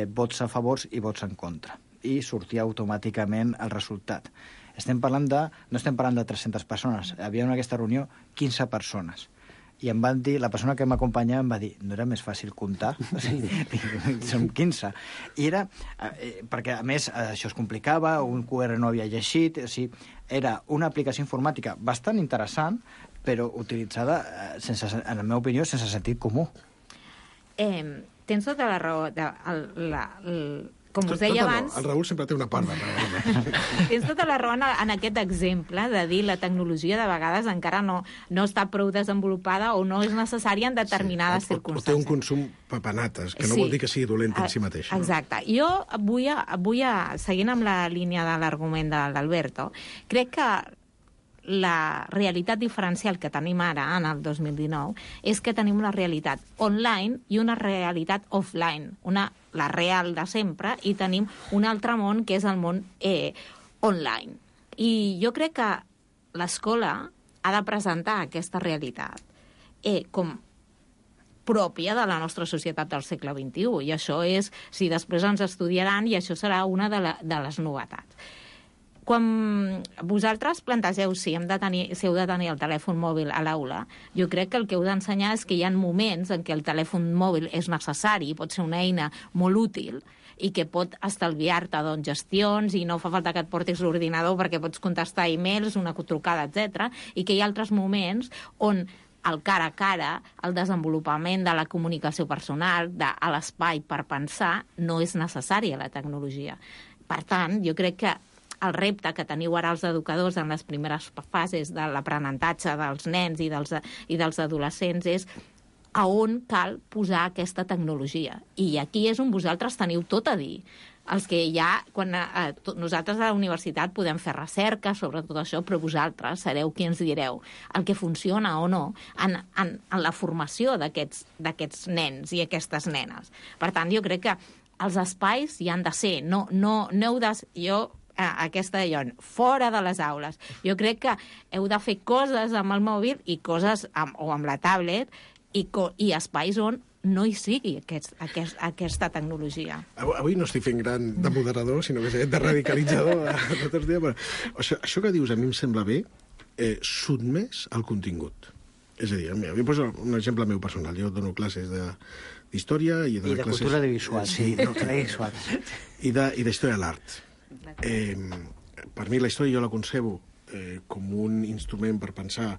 vots a favors i vots en contra. I sortia automàticament el resultat. No estem parlant de 300 persones. Havia en aquesta reunió 15 persones. I em van dir, la persona que m'acompanyava em va dir, no era més fàcil comptar? O sigui, som 15. I era, perquè a més això es complicava, un QR no havia llegit, o sigui, era una aplicació informàtica bastant interessant, però utilitzada, en la meva opinió, sense sentit comú. Tens tota la raó. Com us deia abans... El Raül sempre té una part de raó. Tens tota la raó en aquest exemple de dir la tecnologia de vegades encara no està prou desenvolupada o no és necessària en determinades circumstàncies. O té un consum papanates, que no vol dir que sigui dolent en si mateix. Exacte. Jo vull, seguint amb la línia de l'argument de l'Alberto, crec que la realitat diferencial que tenim ara, en el 2019, és que tenim una realitat online i una realitat offline, la real de sempre, i tenim un altre món que és el món online. I jo crec que l'escola ha de presentar aquesta realitat com pròpia de la nostra societat del segle XXI, i això és, si després ens estudiaran, i això serà una de les novetats. Quan vosaltres plantegeu si heu de tenir el telèfon mòbil a l'aula, jo crec que el que heu d'ensenyar és que hi ha moments en què el telèfon mòbil és necessari, pot ser una eina molt útil i que pot estalviar-te gestions i no fa falta que et portis l'ordinador perquè pots contestar e-mails, una trucada, etc. I que hi ha altres moments on el cara a cara, el desenvolupament de la comunicació personal, de l'espai per pensar, no és necessària la tecnologia. Per tant, jo crec que el repte que teniu ara els educadors en les primeres fases de l'aprenentatge dels nens i dels adolescents és a on cal posar aquesta tecnologia. I aquí és on vosaltres teniu tot a dir. Els que nosaltres a la universitat podem fer recerca sobre tot això, però vosaltres sereu qui ens direu el que funciona o no en la formació d'aquests nens i aquestes nenes. Per tant, jo crec que els espais hi han de ser. No heu de... aquesta fora de les aules. Jo crec que heu de fer coses amb el mòbil i coses o amb la tablet i espais on no hi sigui aquesta tecnologia. Avui no estic fent gran de moderador, sinó que de radicalitzador. Això que dius a mi em sembla bé, sotmès al contingut. És a dir, jo poso un exemple meu personal. Jo dono classes d'història i de cultura visual. Sí, i d'història de l'art. Per mi la història jo la concebo com un instrument per pensar,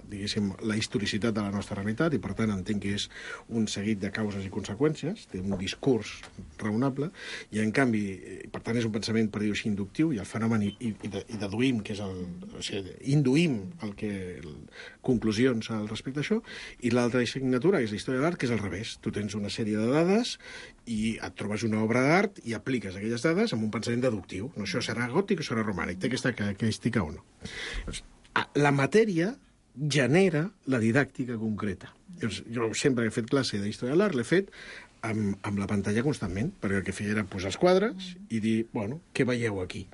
diguéssim, la historicitat de la nostra realitat, i per tant entenc que és un seguit de causes i conseqüències, té un discurs raonable, i en canvi, per tant és un pensament, per dir-ho així, inductiu, i el fenomen i deduïm, que és induïm conclusions al respecte a això, i l'altra assignatura, que és la història de l'art, que és al revés. Tu tens una sèrie de dades i et trobes una obra d'art i apliques aquelles dades amb un pensament deductiu. No, això serà gòtic o serà romànic, té aquesta característica o no. La matèria genera la didàctica concreta. Jo sempre he fet classe d'història de l'art, l'he fet amb la pantalla constantment, perquè el que feia era posar els quadres i dir, bueno, què veieu aquí?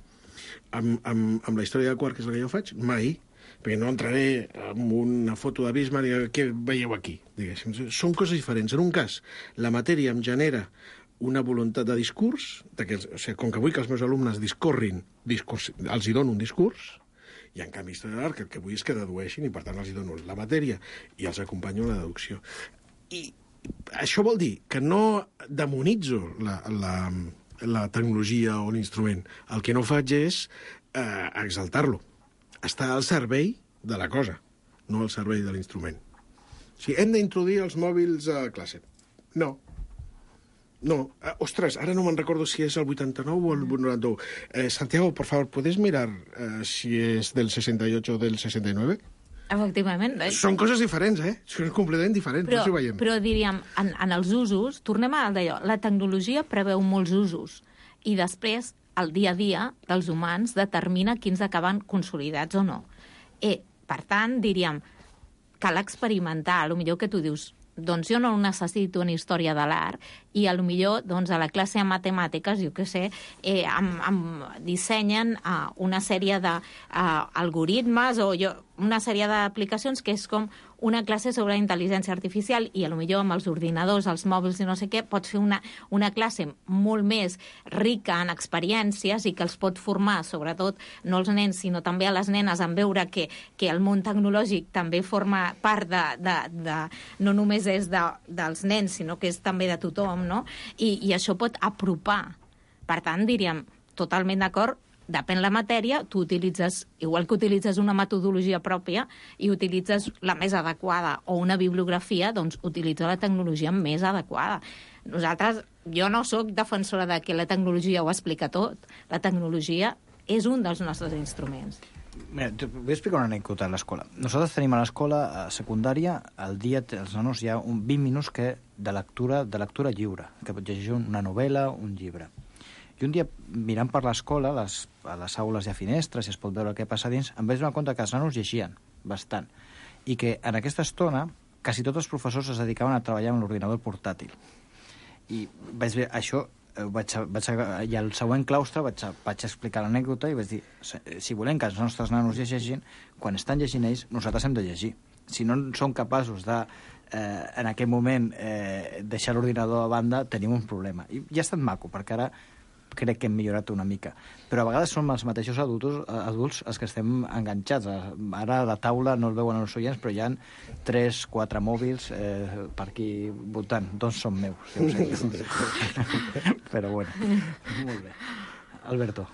Amb la història del quart, que és la que jo faig, mai, perquè no entraré en una foto de Bismarck i què veieu aquí, diguéssim. Són coses diferents. En un cas, la matèria em genera una voluntat de discurs, com que vull que els meus alumnes discorrin, els hi dono un discurs, i en canvi història de l'art el que vull és que dedueixin, i per tant els hi dono la matèria i els acompanyo en la deducció. I això vol dir que no demonitzo la tecnologia o l'instrument. El que no faig és exaltar-lo. Està al servei de la cosa, no al servei de l'instrument. O sigui, hem d'introduir els mòbils a classe. No. Ostres, ara no me'n recordo si és el 89 o el 91. Santiago, por favor, ¿puedes mirar si és del 68 o del 69? Efectivament. Són coses diferents, Són completament diferents, no s'ho veiem. Però diríem, en els usos, tornem a d'allò, la tecnologia preveu molts usos, i després el dia a dia dels humans determina quins acaben consolidats o no. Per tant, diríem, cal experimentar. Potser que tu dius, doncs jo no necessito una història de l'art, i potser doncs, a la classe de matemàtiques, jo què sé, dissenyen una sèrie d'algoritmes o una sèrie d'aplicacions que és com una classe sobre intel·ligència artificial, i potser amb els ordinadors, els mòbils i no sé què, pots fer una classe molt més rica en experiències i que els pot formar, sobretot, no els nens, sinó també a les nenes, en veure que el món tecnològic també forma part no només és dels nens, sinó que és també de tothom, no? I això pot apropar. Per tant, diríem, totalment d'acord, depèn la matèria, tu utilitzes, igual que utilitzes una metodologia pròpia i utilitzes la més adequada o una bibliografia, doncs utilitza la tecnologia més adequada. Jo no sóc defensora de que la tecnologia ho explica tot. La tecnologia és un dels nostres instruments. Mira, vull explicar una anècdota a l'escola. Nosaltres tenim a l'escola secundària, al dia els nanos hi ha 20 minuts de lectura lliure, que pot llegir una novel·la, un llibre. I un dia, mirant per l'escola, a les aules hi ha finestres, i es pot veure el que passa dins, em vaig donar compte que els nanos llegien bastant, i que en aquesta estona quasi tots els professors es dedicaven a treballar amb l'ordinador portàtil. I vaig veure això, i al següent claustre vaig explicar l'anècdota i vaig dir, si volem que els nostres nanos llegeixin, quan estan llegint ells, nosaltres hem de llegir. Si no som capaços de, en aquest moment, deixar l'ordinador a banda, tenim un problema. I ja ha estat maco, perquè ara crec que hem millorat una mica. Però a vegades som els mateixos adults els que estem enganxats. Ara a la taula no el veuen els oients, però hi ha 3-4 mòbils per aquí voltant. 2 són meus, si ho sé. Pero bueno, molt bé. Alberto.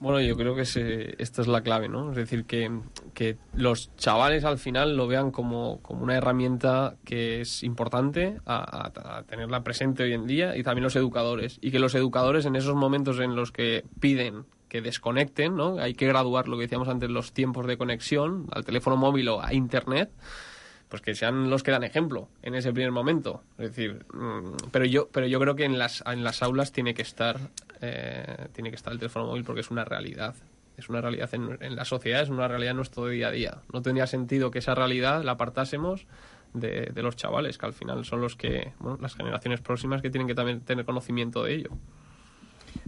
Bueno, yo creo que esta es la clave, ¿no? Es decir, que los chavales al final lo vean como una herramienta que es importante a tenerla presente hoy en día, y también los educadores. Y que los educadores, en esos momentos en los que piden que desconecten, ¿no? Hay que graduar, lo que decíamos antes, los tiempos de conexión al teléfono móvil o a Internet, pues que sean los que dan ejemplo en ese primer momento. Es decir, pero yo creo que en las aulas tiene que estar el teléfono móvil, porque es una realidad. Es una realidad en la sociedad, es una realidad en nuestro día a día. No tendría sentido que esa realidad la apartásemos de los chavales, que al final son los que, las generaciones próximas, que tienen que también tener conocimiento de ello.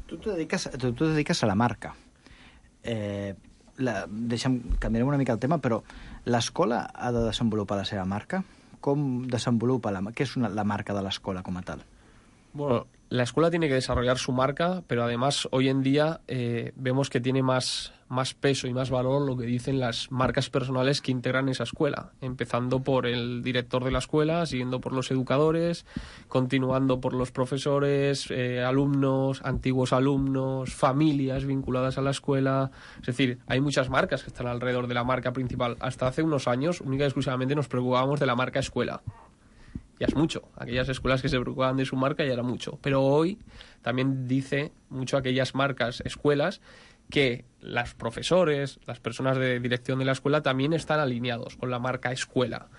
Tú te dediques a la marca. Canviarem una mica el tema, però l'escola ha de desenvolupar la seva marca? Com desenvolupa què és la marca de l'escola com a tal? Bueno, la escuela tiene que desarrollar su marca, pero además hoy en día vemos que tiene más peso y más valor lo que dicen las marcas personales que integran esa escuela, empezando por el director de la escuela, siguiendo por los educadores, continuando por los profesores, alumnos, antiguos alumnos, familias vinculadas a la escuela. Es decir, hay muchas marcas que están alrededor de la marca principal. Hasta hace unos años, única y exclusivamente nos preocupábamos de la marca escuela. Ya es mucho. Aquellas escuelas que se preocupaban de su marca ya era mucho. Pero hoy también dice mucho aquellas marcas escuelas que los profesores, las personas de dirección de la escuela también están alineados con la marca escuela.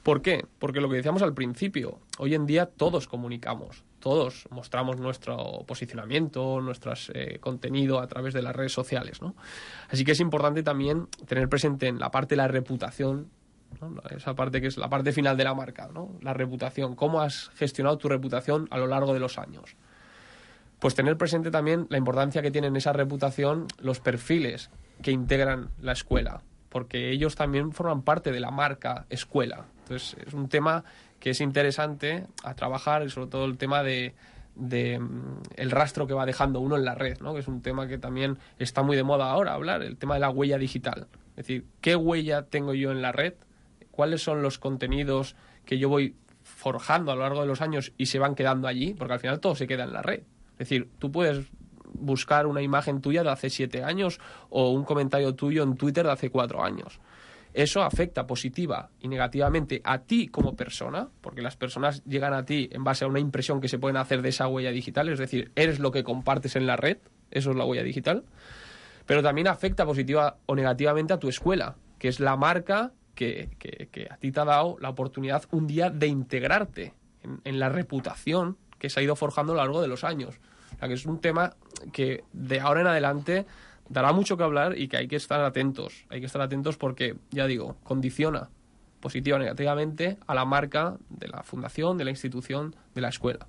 ¿Por qué? Porque lo que decíamos al principio, hoy en día todos comunicamos, todos mostramos nuestro posicionamiento, nuestro contenido a través de las redes sociales, ¿no? Así que es importante también tener presente en la parte de la reputación, ¿no? Esa parte que es la parte final de la marca, ¿no? La reputación, cómo has gestionado tu reputación a lo largo de los años. Pues tener presente también la importancia que tienen esa reputación los perfiles que integran la escuela, porque ellos también forman parte de la marca escuela. Entonces es un tema que es interesante a trabajar, y sobre todo el tema de el rastro que va dejando uno en la red, ¿no? Que es un tema que también está muy de moda ahora hablar, el tema de la huella digital. Es decir, ¿qué huella tengo yo en la red? ¿Cuáles son los contenidos que yo voy forjando a lo largo de los años y se van quedando allí? Porque al final todo se queda en la red. Es decir, tú puedes buscar una imagen tuya de hace 7 años o un comentario tuyo en Twitter de hace 4 años. Eso afecta positiva y negativamente a ti como persona, porque las personas llegan a ti en base a una impresión que se pueden hacer de esa huella digital, es decir, eres lo que compartes en la red, eso es la huella digital, pero también afecta positiva o negativamente a tu escuela, que es la marca que a ti te ha dado la oportunidad un día de integrarte en la reputación que se ha ido forjando a lo largo de los años. O sea, que es un tema que de ahora en adelante dará mucho que hablar y que hay que estar atentos. Hay que estar atentos porque, ya digo, condiciona positiva o negativamente a la marca de la fundació, de la institució, de la escuela.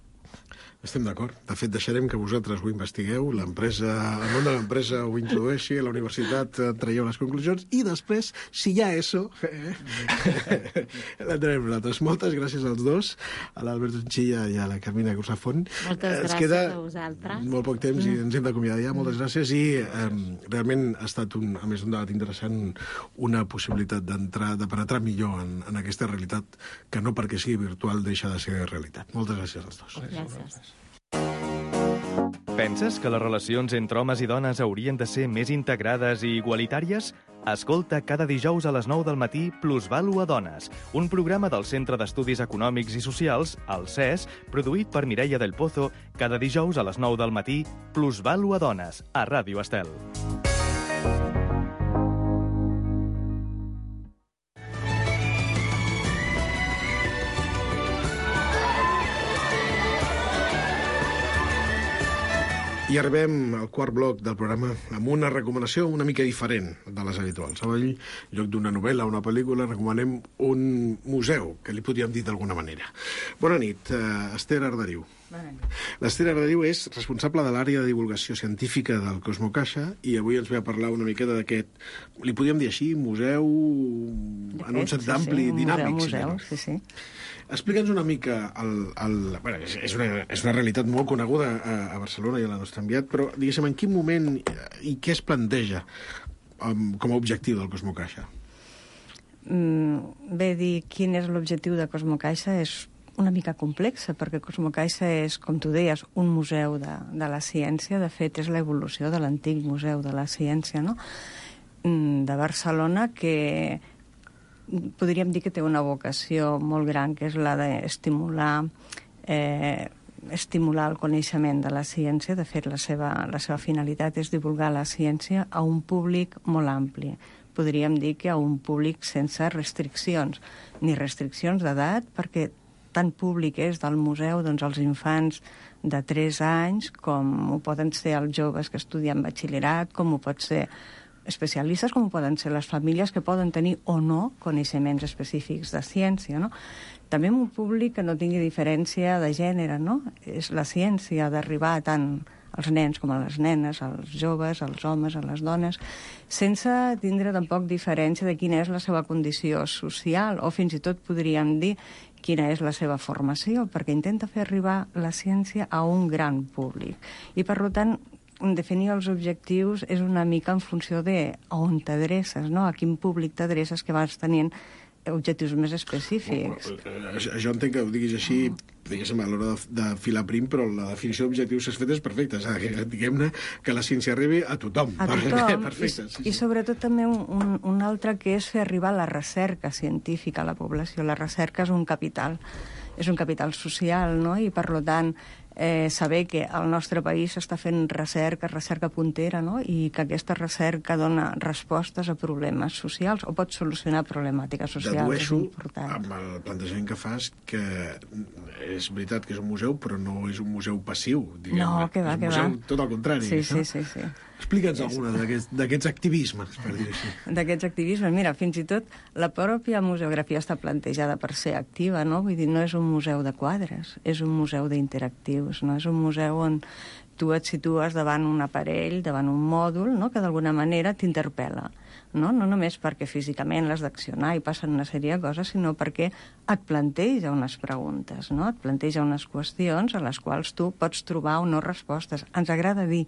Estem d'acord. De fet, deixarem que vosaltres ho investigueu, l'empresa, el món de l'empresa ho introdueixi, a la universitat traieu les conclusions i després, si hi ha ESO, l'entrarem nosaltres. Moltes gràcies als dos, a l'Albert Unchilla i a la Carmina Cursafont. Moltes gràcies queda a vosaltres. Molt poc temps i ens hem d'acomiadar ja. Moltes gràcies i realment ha estat, a més d'un debat interessant, una possibilitat de penetrar millor en aquesta realitat que no perquè sigui virtual deixa de ser realitat. Moltes gràcies als dos. Gràcies. Penses que les relacions entre homes i dones haurien de ser més integrades i igualitàries? Escolta cada dijous a les 9 del matí Plusvàlua Dones, un programa del Centre d'Estudis Econòmics i Socials, el CES, produït per Mireia del Pozo, cada dijous a les 9 del matí Plusvàlua Dones, a Ràdio Estel. I arribem al quart bloc del programa amb una recomanació una mica diferent de les habituals. Avui, en lloc d'una novel·la o una pel·lícula, recomanem un museu, que li podríem dir d'alguna manera. Bona nit, Esther Arderiu. Bona nit. L'Esther Arderiu és responsable de l'àrea de divulgació científica del Cosmocaixa i avui ens ve a parlar una miqueta d'aquest, li podríem dir així, museu en un sentit ampli, dinàmic. Museu, sí. Explica'ns una mica, bueno, és una realitat molt coneguda a Barcelona i a la nostra enviat, però diguéssim, en quin moment i què es planteja com a objectiu del Cosmocaixa? Bé, dir quin és l'objectiu de Cosmocaixa és una mica complexa, perquè Cosmocaixa és, com tu deies, un museu de la ciència. De fet, és l'evolució de l'antic museu de la ciència, no? De Barcelona, que podríem dir que té una vocació molt gran, que és la d'estimular el coneixement de la ciència. De fet, la seva finalitat és divulgar la ciència a un públic molt ampli. Podríem dir que a un públic sense restriccions, ni restriccions d'edat, perquè tant públic és del museu, doncs els infants de 3 anys, com ho poden ser els joves que estudien batxillerat, com ho pot ser especialistes, com poden ser les famílies que poden tenir o no coneixements específics de ciència, no? També un públic que no tingui diferència de gènere, no? És la ciència d'arribar tant als nens com a les nenes, als joves, als homes, a les dones, sense tindre tampoc diferència de quina és la seva condició social, o fins i tot podríem dir quina és la seva formació, perquè intenta fer arribar la ciència a un gran públic. I, per tant, definir els objectius és una mica en funció de on t'adreces, no? A quin públic t'adreces, que vas tenint objectius més específics. Jo entenc que ho diguis així, diguéssim, a l'hora de filar prim, però la definició d'objectius que has fet és perfecta. Diguem-ne que la ciència arribi a tothom. A tothom. Perfecte. I sobretot també un altre, que és fer arribar la recerca científica a la població. La recerca és un capital social, no? I, per tant, saber que al nostre país s'està fent recerca puntera, no? I que aquesta recerca dona respostes a problemes socials o pot solucionar problemàtiques socials. Dedueixo, amb el plantejament que fas, que és veritat que és un museu, però no és un museu passiu, diguem-ne. No, que va, és un museu tot al contrari. Sí. Explica'ns alguna d'aquests activismes, per dir-ho així. D'aquests activismes, mira, fins i tot la pròpia museografia està plantejada per ser activa, no? Vull dir, no és un museu de quadres, és un museu d'interactius, no? És un museu on tu et situes davant un aparell, davant un mòdul, no? Que d'alguna manera t'interpel·la. No només perquè físicament l'has d'accionar i passen una sèrie de coses, sinó perquè et planteja unes preguntes, no? Et planteja unes qüestions a les quals tu pots trobar o no respostes. Ens agrada dir,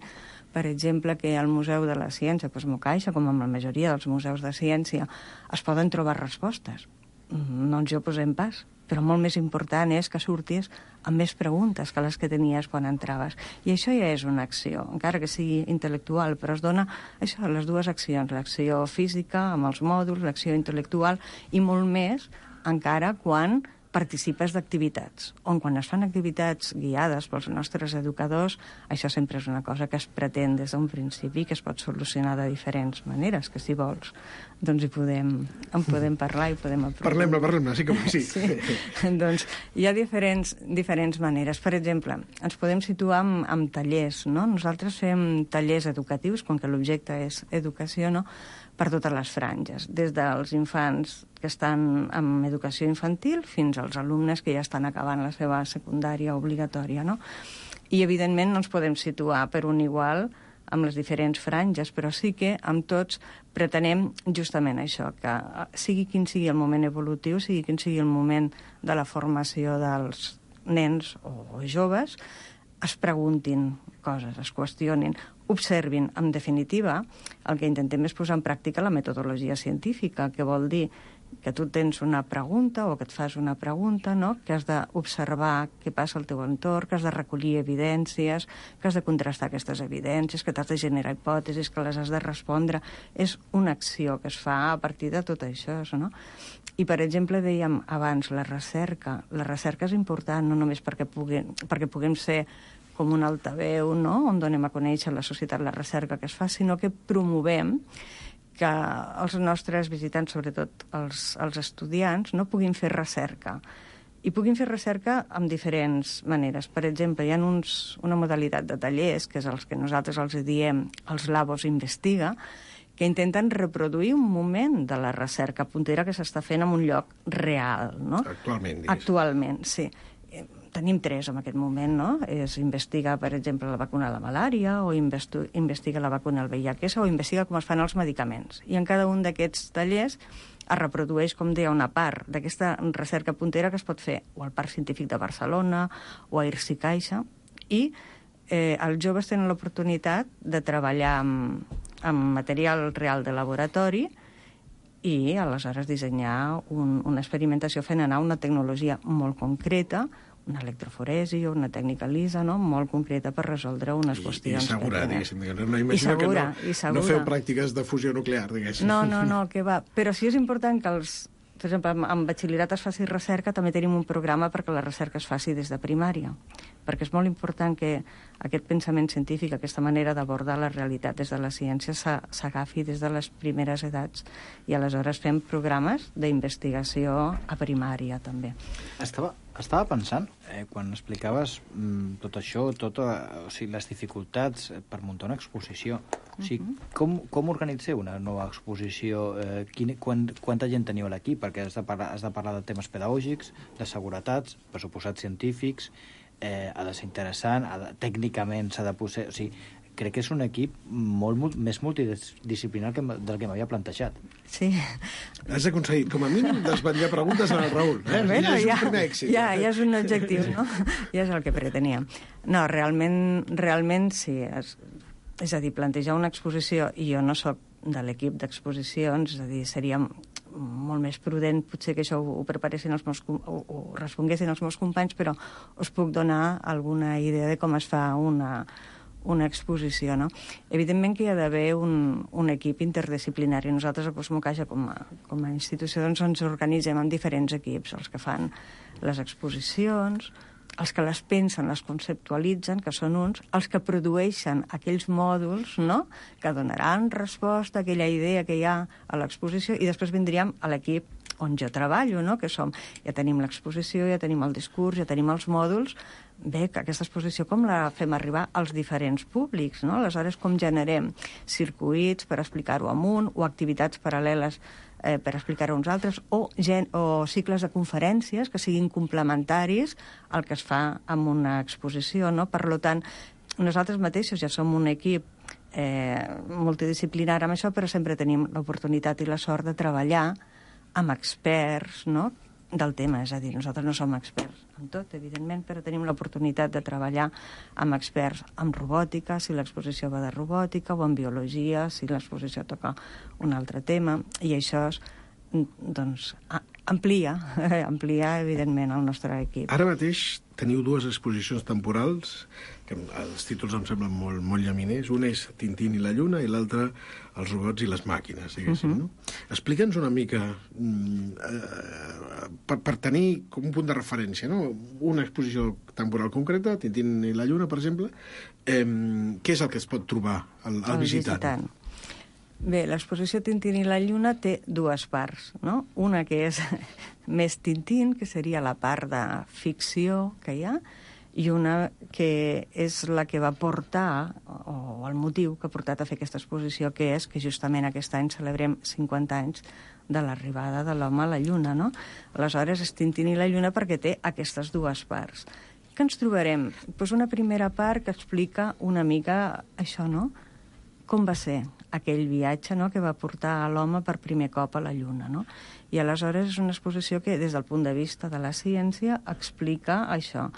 per exemple, que al Museu de la Ciència, Cosmocaixa, com amb la majoria dels museus de ciència, es poden trobar respostes. No ens hi oposem pas, però molt més important és que surtis amb més preguntes que les que tenies quan entraves. I això ja és una acció, encara que sigui intel·lectual, però es dona això, les dues accions, l'acció física amb els mòduls, l'acció intel·lectual, i molt més encara quan participes d'activitats, on quan es fan activitats guiades pels nostres educadors, això sempre és una cosa que es pretén des d'un principi, que es pot solucionar de diferents maneres, que si vols, doncs en podem parlar i podem aprofundir. Parlem-ne, sí que vull, sí. Doncs hi ha diferents maneres. Per exemple, ens podem situar amb tallers, no? Nosaltres fem tallers educatius, com que l'objecte és educació, no?, per totes les franges, des dels infants que estan en educació infantil fins als alumnes que ja estan acabant la seva secundària obligatòria, no? I, evidentment, no ens podem situar per un igual amb les diferents franges, però sí que amb tots pretenem justament això, que sigui quin sigui el moment evolutiu, sigui quin sigui el moment de la formació dels nens o joves, es preguntin coses, es qüestionin, observin. En definitiva, el que intentem és posar en pràctica la metodologia científica, que vol dir que tu tens una pregunta o que et fas una pregunta, no?, que has d'observar què passa al teu entorn, que has de recollir evidències, que has de contrastar aquestes evidències, que t'has de generar hipòtesis, que les has de respondre. És una acció que es fa a partir de tot això, no? I, per exemple, dèiem abans, la recerca. La recerca és important no només perquè puguem ser com un altaveu, no?, on donem a conèixer a la societat la recerca que es fa, sinó que promovem que els nostres visitants, sobretot els estudiants, no puguin fer recerca. I puguin fer recerca amb diferents maneres. Per exemple, hi ha una modalitat de tallers, que és els que nosaltres els diem els Labos Investiga, que intenten reproduir un moment de la recerca puntera que s'està fent en un lloc real, no? Actualment, Actualment, sí. Tenim 3 en aquest moment, no? És investigar, per exemple, la vacuna de la malària, o investiga la vacuna del VIH, o investiga com es fan els medicaments. I en cada un d'aquests tallers es reprodueix, com deia, una part d'aquesta recerca puntera que es pot fer o al Parc Científic de Barcelona o a IRSI Caixa, i els joves tenen l'oportunitat de treballar amb material real de laboratori i, aleshores, dissenyar una experimentació fent anar una tecnologia molt concreta, una electroforesi o una tècnica lisa, no?, molt concreta per resoldre unes qüestions. I segura, diguéssim. No imagino que no feu pràctiques de fusió nuclear, diguéssim. No, que va. Però sí és important que per exemple, en batxillerat es faci recerca, també tenim un programa perquè la recerca es faci des de primària, perquè és molt important que aquest pensament científic, aquesta manera d'abordar la realitat des de la ciència s'agafi des de les primeres edats, i aleshores fem programes d'investigació a primària, també. Estava pensant, quan explicaves tot això, les dificultats per muntar una exposició, com organitzeu una nova exposició? Quanta gent teniu a l'equip? Perquè has de parlar de temes pedagògics, de seguretats, pressuposats científics, ha de ser interessant, tècnicament s'ha de posar... O sigui, crec que és un equip molt més multidisciplinar del que m'havia plantejat. Sí. Has aconseguit, com a mínim, desvetllar preguntes al Raül. Bueno, és un primer èxit. Ja és un objectiu, no? Ja és el que preteníem. No, realment sí. És a dir, plantejar una exposició, i jo no sóc de l'equip d'exposicions, és a dir, seria molt més prudent potser que això ho preparessin ho responguessin els meus companys, però us puc donar alguna idea de com es fa una exposició, no? Evidentment que hi ha d'haver un equip interdisciplinari. Nosaltres a Cosmocaixa, com a institució, doncs ens organitzem en diferents equips, els que fan les exposicions, els que les pensen, les conceptualitzen, que són uns, els que produeixen aquells mòduls, no?, que donaran resposta a aquella idea que hi ha a l'exposició, i després vindríem a l'equip on jo treballo, no?, que ja tenim l'exposició, ja tenim el discurs, ja tenim els mòduls. Bé, que aquesta exposició com la fem arribar als diferents públics, no? Aleshores, com generem circuits per explicar-ho amunt, o activitats paral·leles per explicar-ho a uns altres, o cicles de conferències que siguin complementaris al que es fa en una exposició, no? Per tant, nosaltres mateixos ja som un equip multidisciplinar amb això, però sempre tenim l'oportunitat i la sort de treballar amb experts, no?, del tema. És a dir, nosaltres no som experts en tot, evidentment, però tenim l'oportunitat de treballar amb experts en robòtica, si l'exposició va de robòtica, o en biologia, si l'exposició toca un altre tema, i això doncs amplia, evidentment, el nostre equip. Ara mateix teniu dues exposicions temporals, que els títols em semblen molt llaminers. Un és Tintín i la Lluna i l'altre Els robots i les màquines, diguéssim, no? Explica'ns una mica, per tenir com un punt de referència, no?, una exposició temporal concreta, Tintín i la Lluna, per exemple, què és el que es pot trobar al visitant? Bé, l'exposició Tintín i la Lluna té dues parts, no? Una que és més Tintín, que seria la part de ficció que hi ha, i una que és la que va portar, o el motiu que ha portat a fer aquesta exposició, que és que justament aquest any celebrem 50 anys de l'arribada de l'home a la Lluna, no? Aleshores, és Tintín i la Lluna perquè té aquestes dues parts. Què ens trobarem? Doncs una primera part que explica una mica això, no?, com va ser aquell viatge, no?, que va portar l'home per primer cop a la Lluna, no? I aleshores és una exposició que, des del punt de vista de la ciència, explica això.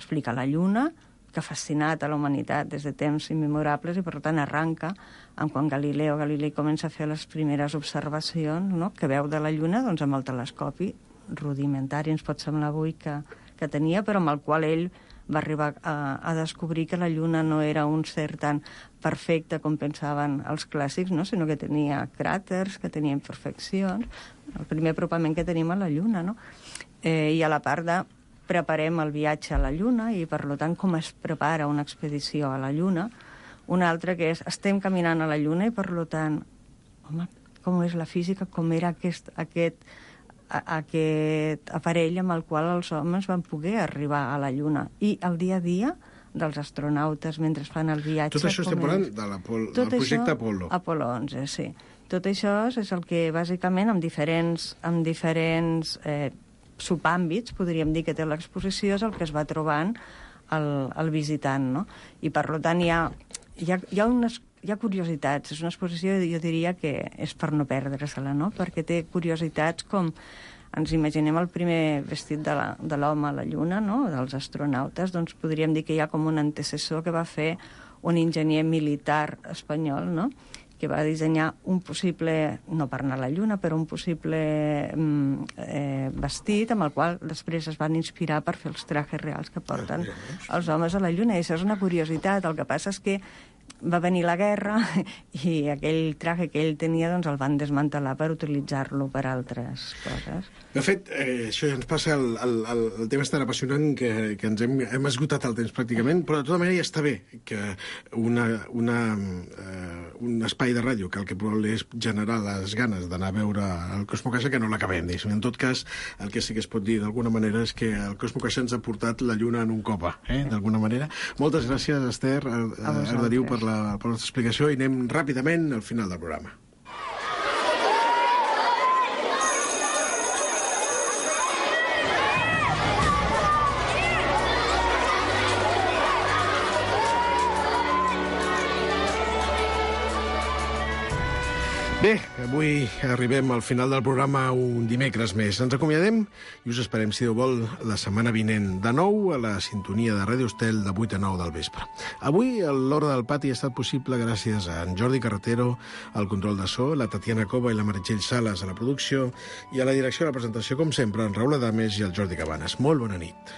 Explica la Lluna, que ha fascinat a la humanitat des de temps immemorables, i per tant arranca amb quan Galilei comença a fer les primeres observacions, no?, que veu de la Lluna, doncs amb el telescopi rudimentari, ens pot semblar avui que tenia, però amb el qual ell va arribar a descobrir que la Lluna no era un ser tan perfecte com pensaven els clàssics, no?, sinó que tenia cràters, que tenia imperfeccions, el primer apropament que tenim a la Lluna, no? I a la part de preparem el viatge a la Lluna i, per tant, com es prepara una expedició a la Lluna. Una altra que és, estem caminant a la Lluna i, per tant, home, com és la física, com era aquest aparell amb el qual els homes van poder arribar a la Lluna. I el dia a dia dels astronautes mentre fan el viatge... Tot això estem parlant del projecte Apolo. Apolo 11, sí. Tot això és el que, bàsicament, amb diferents subàmbits, podríem dir, que té l'exposició, és el que es va trobant el visitant, no? I, per tant, hi ha curiositats. És una exposició, jo diria, que és per no perdre-se-la, no? Perquè té curiositats com ens imaginem el primer vestit de l'home a la Lluna, no?, dels astronautes, doncs podríem dir que hi ha com un antecessor que va fer un enginyer militar espanyol, no?, que va dissenyar un possible, no per anar a la Lluna, però un possible vestit amb el qual després es van inspirar per fer els trajes reals que porten els homes a la Lluna. I això és una curiositat. El que passa és que va venir la guerra i aquell traje que ell tenia doncs el van desmantelar per utilitzar-lo per altres coses. De fet, això ja ens passa, el tema és tan apassionant que ens hem esgotat el temps pràcticament, però de tota manera ja està bé que un espai de ràdio que el que vol és generar les ganes d'anar a veure el Cosmocaixa, que no l'acabem, diguéssim. En tot cas, el que sí que es pot dir d'alguna manera és que el Cosmocaixa ens ha portat la Lluna en un copa, d'alguna manera. Moltes gràcies, Esther Arderiu, per la nostra explicació, i anem ràpidament al final del programa. Bé, avui arribem al final del programa un dimecres més. Ens acomiadem i us esperem, si Déu vol, la setmana vinent, de nou a la sintonia de Ràdio Estel de 8 a 9 del vespre. Avui l'Hora del Pati ha estat possible gràcies a en Jordi Carretero, al control de so, la Tatiana Cova i la Meritxell Sales a la producció, i a la direcció de la presentació, com sempre, en Raül Adames i el Jordi Cabanes. Molt bona nit.